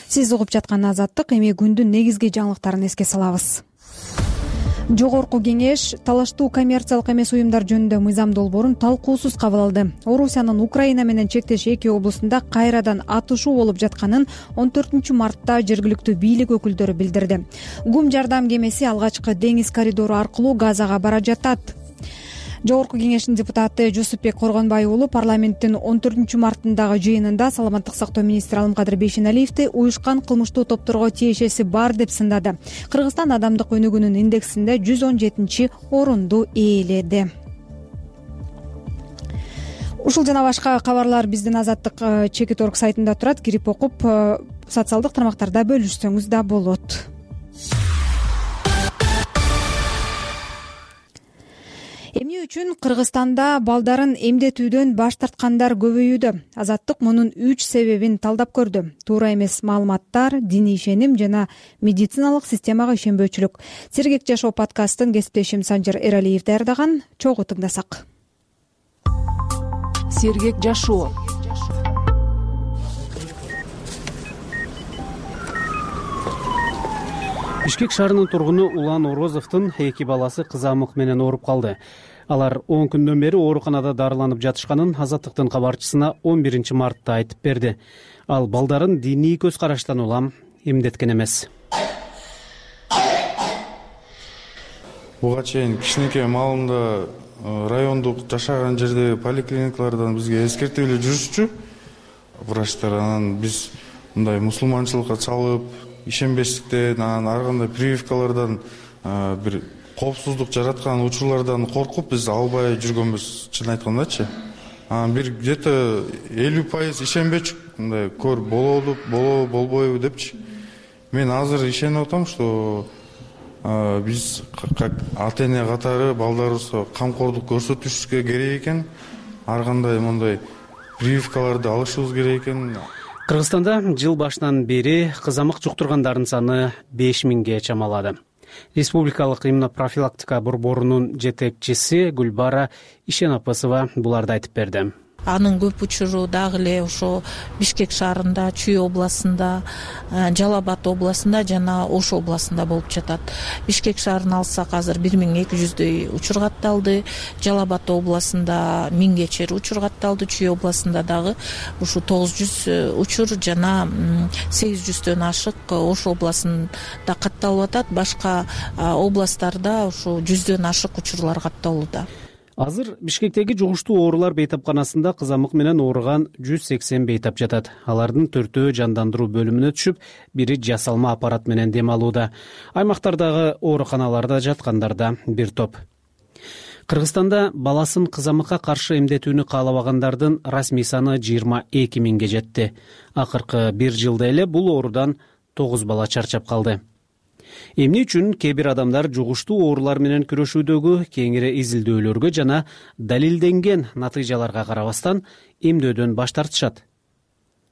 Сиз угуп жаткан Азаттык. Эми күндүн негизги жаңылыктарын эске салабыз. Жогорку кеңеш талаштуу коммерциялык эмес уюмдар жөнүндө мыйзам долбоорун талкуусуз кабыл алды. Орусиянын Украина менен чектеш 2 облусунда кайрадан атышуу болуп жатканын 14-мартта жергиликтүү бийлик өкүлдөрү билдирди. ГУМ жардам кемеси алгачкы деңиз коридору аркылуу Газага бара жатат. Жогорку кеңештин депутаты Жусупбек Коргонбай уулу парламенттин 14-мартындагы жыйынында саламаттык сактоо министри Алымкадыр Бейшеналиевди уюшкан кылмыштуу топторго тиешеси бар деп сындады. Кыргызстан адамдык өнүгүүнүн индексинде 117 орунду ээледи. Ушул жана башка кабарлар биздин Азаттык Чекит.орг сайтында турат. Кирип окуп, социалдык тармактарда бөлүшсөңүз да болот. Эмне үчүн Кыргызстанда балдарын эмдетүүдөн баш тарткандар көбөйүүдө? Азаттык мунун 3 себебин талдап көрдү. Туура эмес маалыматтар, диний ишеним жана медициналык системага ишенбөөчүлүк. Сергек жашоо подкастын кесиптешим Санжар Эралиев даярдаган. Чогуу тыңдасак. Сергек жашоо. Бишкек шаарынын тургуну Улан Орозовдун 2 баласы кызамык менен ооруп калды. Алар 10 күндөн бери ооруканада дарыланып жатышканын Азаттыктын кабарчысына 11 мартта айтып берди. Ал балдарын диний көз караштан улам эмдеткен эмес. Буга чейин кичинекей маалымда райондук жашаган жердеги поликлиникалардан бизге эскертип эле жүрүшчү врачтар. Анан биз мындай мусулманчылыкка чалып, ишенбестиктен, анан ар кандай прививкалардан бир коопсуздук жараткан учурлардан коркуп биз албай жүргөнбүз, чын айткандачы. Анан бир где-то 50% ишенбечүк, мындай көр болобу, болбойбу депчи. Мен азыр ишенип атам, что биз как ата-эне катары балдарыбызга камкордук көрсөтүшүбүз керек экен, ар кандай мындай прививкаларды алышыбыз керек экен. Кыргызстанда жыл башынан бери кызамык жуктургандардын саны 5000ге чамалады. Республикалык иммунопрофилактика борборунун жетекчиси Гүлбара Ишенапысова буларды айтып берди. анын көп учуру дагы эле ошо Бишкек шаарында, Чүй областында, Жалал Абад областында жана Ош областында болуп жатат. Бишкек шаарын алсак азыр 1200дөй учур катталды. Жалал Абад областында 1000ге чейин учур катталды. Чүй областында дагы ушу 900 учур жана 800дөн ашык Ош областында катталып атат. Башка областтарда ушу 100дөн ашык учурлар катталууда. Азыр Бишкектеги жугуштуу оорулар бейтапканасында кызамык менен ооруган 180 бейтап жатат. Алардын 4-өө жандандыруу бөлүмүнө түшүп, бири жасалма аппарат менен дем алууда. Аймактардагы ооруканаларда жаткандар да бир топ. Кыргызстанда баласын кызамыкка каршы эмдетүүнү каалабагандардын расмий саны 22 миңге жетти. Акыркы бир жылда эле бул оорудан 9 бала чарчап калды. Эмне үчүн кээ бир адамдар жугуштуу оорулар менен күрөшүүдөгү кеңири изилдөөлөргө жана далилденген натыйжаларга карабастан эмдөөдөн баш тартышат?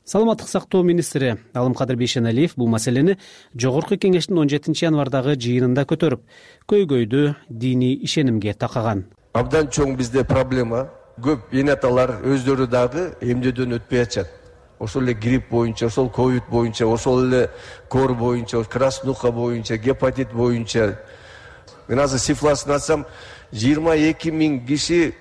Саламаттык сактоо министри Алымкадыр Бейшеналиев бул маселени Жогорку кеңештин 17 январдагы жыйынында көтөрүп, көйгөйдү диний ишенимге такаган. Абдан чоң бизде проблема. Көп эне аталар өздөрү дагы эмдөөдөн өтпөй атышат. Ошол эле грипп боюнча, ошол ковид боюнча, ошол эле кор боюнча, краснуха боюнча, гепатит боюнча. Мен азыр цифрасын айтсам, 22 миң киши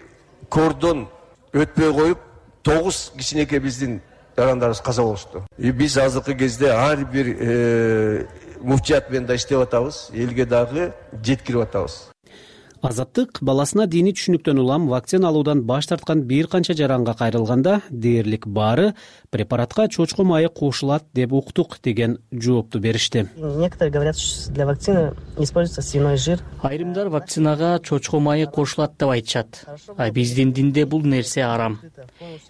кордон өтпөй коюп, 9 кичинекей биздин жарандарыбыз каза болушту. Биз азыркы кезде ар бир муфтият менен да иштеп атабыз, элге дагы жеткирип атабыз. Азаттык баласына диний түшүнүктөн улам вакцина алуудан баш тарткан бир канча жаранга кайрылганда дээрлик баары препаратка чочко майы кошулат деп уктук деген жоопту беришти. Некоторые говорят, что для вакцины используется свиной жир. Айрымдар вакцинага чочко майы кошулат деп айтышат. Биздин динде бул нерсе арам.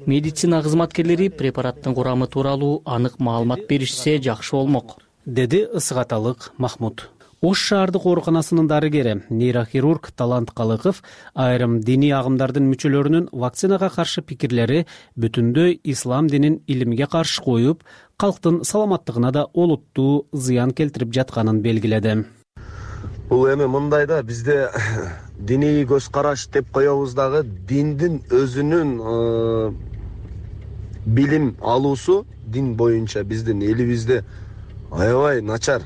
Медицина кызматкерлери препараттын курамы тууралуу анык маалымат беришсе жакшы болмок, деди Ысык-Аталык Махмуд. Ош шаардык ооруканасынын дарыгери, нейрохирург Талант Калыков айрым диний агымдардын мүчөлөрүнүн вакцинага каршы пикирлери бүтүндөй ислам динин илимге каршы коюп, калктын саламаттыгына да олуттуу зыян келтирип жатканын белгиледи. Бул эми мындай да, бизде диний көз караш деп коебуз дагы диндин өзүнүн билим алуусу дин боюнча биздин элибизде аябай начар.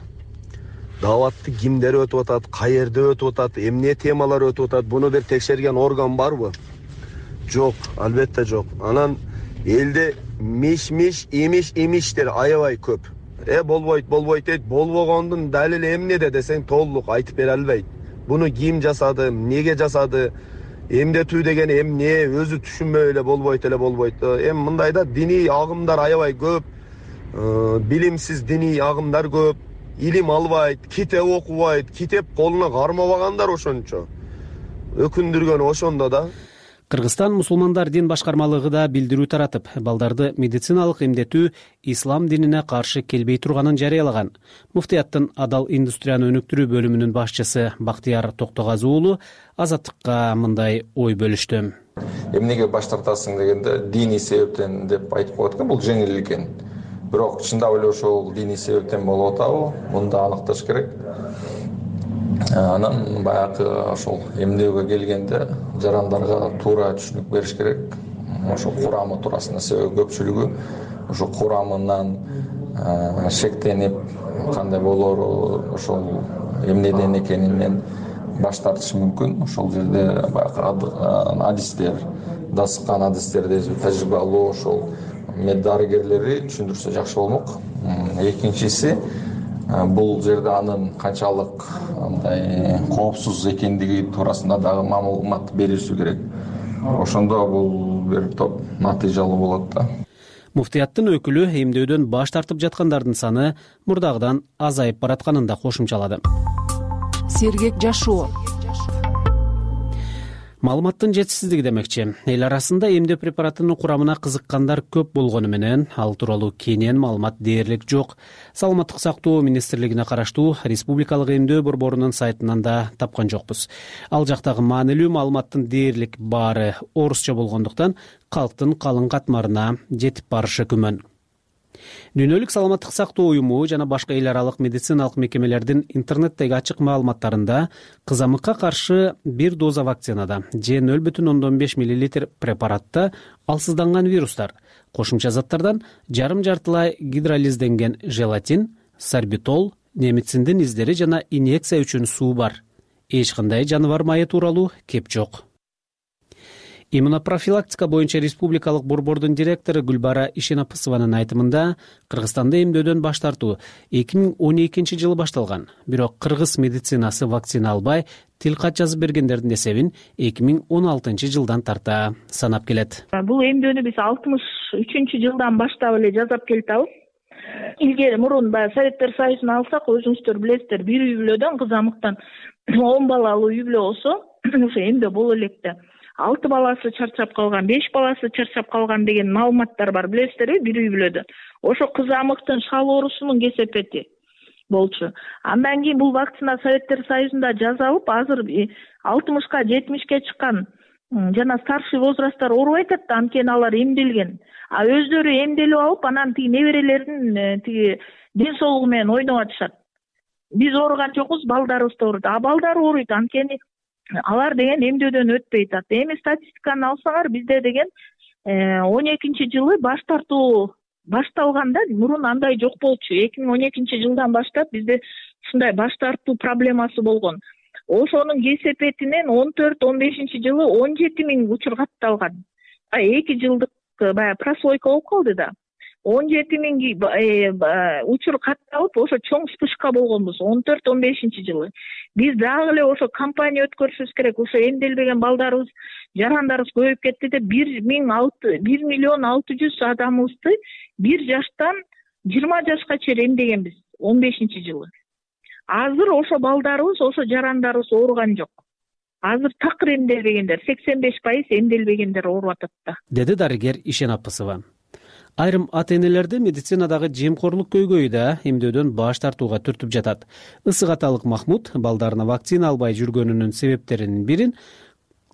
Даватты кимдер өтүп атат, каерде өтүп атат, эмне темалар өтүп атат, буну бир текшерген орган барбы? Жок, албетте жок. Анан элде имиштер аябай көп. Болбойт дейт, болбогондун далили эмнеде десең толук айтып бере албайт. Буну ким жасады, эмнеге жасады, эмдетүү деген эмне, өзү түшүнбөй эле болбойт. Эми мындайда диний агымдар аябай көп, билимсиз диний агымдар көп. Илим албайт, китеп окубайт, китеп колуна кармабагандар ошончо. Өкүндүргөн ошондо да. Кыргызстан мусулмандар дин башкармалыгы да билдирүү таратып, балдарды медициналык эмдетүү ислам динине каршы келбей турганын жарыялаган. Муфтияттын адал индустрияны өнүктүрүү бөлүмүнүн башчысы Бактияр Токтогазы уулу Азаттыкка мындай ой бөлүштү. Эмнеге баш тартасың дегенде диний себептен деп айтып коет экен, бул жеңил экен. Бирок чындап эле ошол диний себептен болуп атабы? Муну да аныкташ керек. Анан баягы ошол эмдөөгө келгенде жарандарга туура түшүнүк бериш керек. Ошол курамы туурасында себеби көпчүлүгү ошол курамынан шектенип, кандай болоору, ошол эмнеден экенинен баш тартышы мүмкүн. Ошол жерде баягы адистер, дасыккан адистерди тажрыйбалуу ошол мед дарыгерлери түшүндүрсө жакшы болмок. Экинчиси, бул жерде анын канчалык андай коопсуз экендиги туурасында дагы маалымат бериши керек. Ошондо бул бир топ натыйжалуу болот да. Муфтияттын өкүлү эмдөөдөн баш тартып жаткандардын саны мурдагыдан азайып баратканын да кошумчалады. Сергек жашоо. Маалыматтын жетишсиздиги демекчи. Эл арасында эмдөө препаратынын курамына кызыккандар көп болгону менен ал тууралуу кенен маалымат дээрлик жок. Саламаттык сактоо министрлигине караштуу Республикалык эмдөө борборунун сайтынан да тапкан жокпуз. Ал жактагы маанилүү маалыматтын дээрлик баары орусча болгондуктан калктын калың катмарына жетип барышы күмөн. Дүйнөлүк саламаттык сактоо уюму жана башка эл аралык медициналык мекемелердин интернеттеги ачык маалыматтарында кызамыкка каршы бир доза вакцинада же 0,5 мл препаратта алсызданган вирустар, кошумча заттардан жарым-жартылай гидролизденген желатин, сорбитол, немициндин издери жана инъекция үчүн суу бар. Эч кандай жаныбар майы тууралуу кеп жок. Иммунопрофилактика боюнча республикалык борбордун директору Гүлбара Ишенапысованын айтымында Кыргызстанда эмдөөдөн баш тартуу 2012 жылы башталган. Бирок кыргыз медицинасы вакцина албай тил кат жазып бергендердин эсебин 2016 жылдан тарта санап келет. Бул эмдөөнү биз 63 жылдан баштап эле жасап келатабыз. Илгери мурун баягы Советтер Союзун алсак, өзүңүздөр билесиздер, бир үй бүлөдөн кызамыктан 10 балалуу үй бүлө болсо, ошо эмдөө боло элек да. 6 баласы чарчап калган, 5 баласы чарчап калган деген маалыматтар бар, билесиздерби, бир үй бүлөдө. Ошо кызамыктын шал оорусунун кесепети болчу. Андан кийин бул вакцина Советтер Союзунда жасалып, азыр 60ка 70ке чыккан жана старший возрасттар оорубай атат да, анткени алар эмделген. А өздөрү эмделип алып, анан тиги неберелердин тиги ден соолугу менен ойноп атышат. Биз ооруган жокпуз, балдарыбыз да ооруйт. А балдар ооруйт, анткени алар деген эмдөөдөн өтпөй атат. Эми статистиканы алсаңар, бизде деген 12-жылы баш тартуу башталганда мурун андай жок болчу. 2012 жылдан баштап бизде ушундай баш тартуу проблемасы болгон. Ошонун кесепетинен 14-15 жылы 17 000 учур катталган. 2 жылдык баягы прослойка болуп калды да. 17 000 учур катталып, ошо чоң вспышка болгонбуз 14-15 жылы. Биз дагы эле ошо кампания өткөрүшүбүз керек. Ошо эмделбеген балдарыбыз, жарандарыбыз көбөйүп кетти деп 1 миллион 600 адамыбызды 1 жаштан 20 жашка чейин эмдегенбиз 15 жылы. Азыр ошо балдарыбыз, ошо жарандарыбыз ооруган жок. Азыр такыр эмделбегендер, 85% эмделбегендер ооруп атат да, деди дарыгер Ишенапысова. Айрым ата-энелерди медицинадагы жемкорлук көйгөйү эмдөөдөн баш тартууга түртүп жатат. Ысык-аталык Махмуд балдарына вакцина албай жүргөнүнүн себептеринин бирин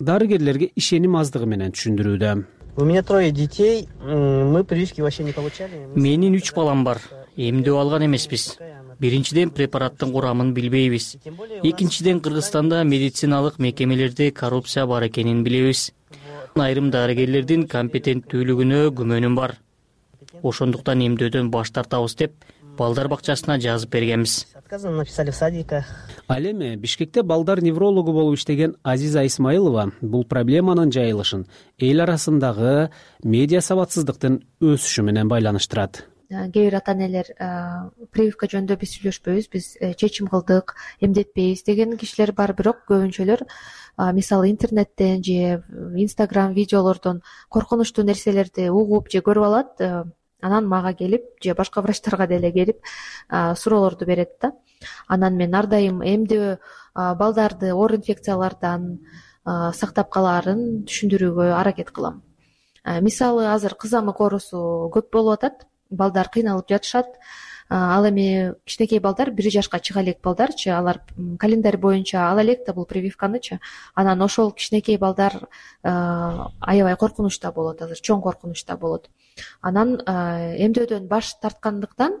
дарыгерлерге ишеним аздыгы менен түшүндүрүүдө. У меня 3 детей, мы прививки вообще не получали. Менин 3 балам бар. Эмдөө алган эмеспиз. Биринчиден препараттын курамын билбейбиз. Экинчиден Кыргызстанда медициналык мекемелерде коррупция бар экенин билебиз. Айрым дарыгерлердин компетенттүүлүгүнө күмөнүм бар. Ошондуктан эмдөөдөн баш тартабыз деп балдар бакчасына жазып бергенбиз. Написали в садиках. Ал эми Бишкекте балдар неврологу болуп иштеген Азиза Исмаилова бул проблеманын жайылышын эл арасындагы медиа сабатсыздыктын өсүшү менен байланыштырат. Кээ бир ата-энелер прививка жөнүндө биз сүйлөшпөйбүз, биз чечим кылдык, эмдетпейбиз деген кишилер бар, бирок көбүнчөлөр мисалы интернеттен же Instagram видеолордон коркунучтуу нерселерди угуп же көрүп алат, анан мага келип же башка врачтарга деле келип суроолорду берет да. Анан мен ар дайым эмдөө балдарды оор инфекциялардан сактап калаарын түшүндүрүүгө аракет кылам. Мисалы азыр кызамык оорусу көп болуп атат, балдар кыйналып жатышат. Ал эми кичинекей балдар 1 жашка чыга элек балдарчы, алар календарь боюнча ала элек да бул прививканычы. Анан ошол кичинекей балдар аябай коркунучта болот, азыр чоң коркунучта болот. Анан эмдөөдөн баш тарткандыктан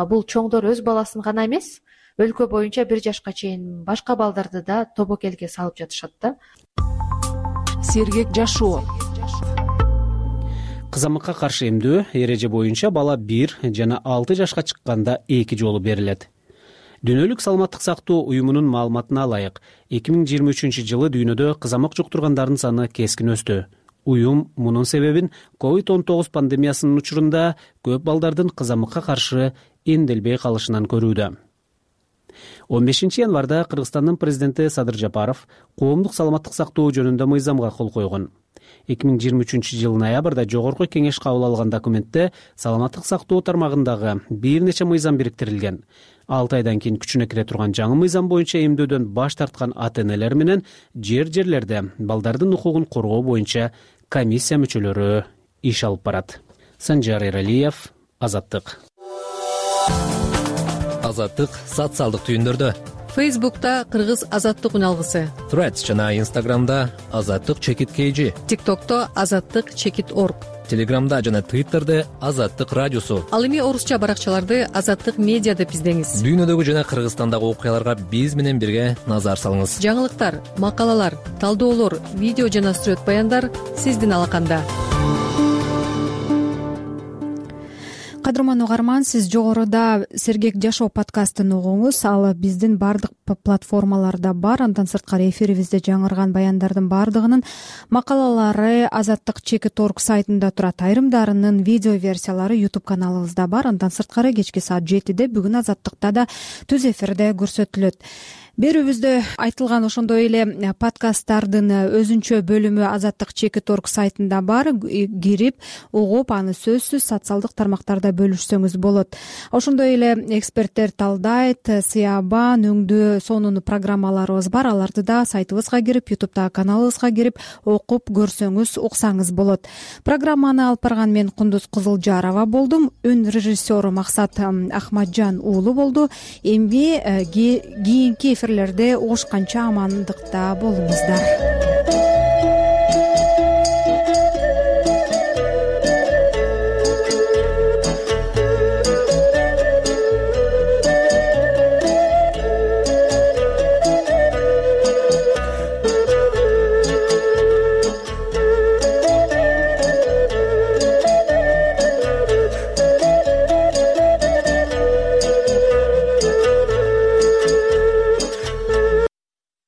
бул чоңдор өз баласын гана эмес, өлкө боюнча 1 жашка чейин башка балдарды да тобокелге салып жатышат да. Сергек жашоо. Кызамыкка каршы эмдөө эреже боюнча бала 1 жана 6 жашка чыкканда 2 жолу берилет. Дүйнөлүк саламаттык сактоо уюмунун маалыматына алайык, 2023 жылы дүйнөдө кызамык жуктургандардын саны кескин өстү. Уюм мунун себебин COVID-19 пандемиясынын учурунда көп балдардын кызамыкка каршы эмделбей калышынан көрүүдө. 15 январда Кыргызстандын президенти Садыр Жапаров коомдук саламаттык сактоо жөнүндө мыйзамга кол койгон. 2023 жыл ноябрда жогорку кеңеш кабыл алган документте саламаттык сактоо тармагындагы бир нече мыйзам бириктирилген. 6 айдан кийин күчүнө кире турган жаңы мыйзам боюнча эмдөөдөн баш тарткан ата-энелер менен жерлерде балдардын укугун коргоо боюнча комиссия мүчөлөрү иш алып барат. Санжар Эралиев, Азаттык. Азаттык социалдык түйүндөрдө. Фейсбукта Кыргыз Азаттык үналгысы. Threads жана Instagramда Азаттык _KG. TikTokто Азаттык _org. Телеграмда жана Twitterде Азаттык радиосу. Ал эми орусча баракчаларды Азаттык медиа деп издеңиз. Дүйнөдөгү жана Кыргызстандагы окуяларга биз менен бирге назар салыңыз. Жаңылыктар, макалалар, талдоолор, видео жана сүрөт баяндар сиздин алаканда. Кадырман угарман, сиз жогоруда Сергек жашоо подкастын угуңуз. Ал биздин бардык платформаларда бар. Андан сырткары эфирибизде жаңырган баяндардын бардыгынын макалалары Азаттык.org сайтында турат. Айрымдарынын видео версиялары YouTube каналыбызда бар. Андан сырткары кечки саат 7-де бүгүн Азаттыкта да түз эфирде көрсөтүлөт. Берүүбүздө айтылган ошондой эле подкасттардын өзүнчө бөлүмү Азаттык.org сайтында бар. Кирип, угуп, аны сөзсүз социалдык тармактарда бөлүшсөңүз болот. Ошондой эле эксперттер талдайт, сыябан, өңдүү, сонун программаларыбыз бар. Аларды да сайтыбызга кирип, YouTube'дагы каналыбызга кирип, окуп көрсөңүз, уксаңыз болот. Программаны алып барган мен Кундуз Кызылжарова болдум. Үн режиссеру Максат Ахмаджан уулу болду. Эми кийинки эфирлерде угушканча амандыкта болуңуздар.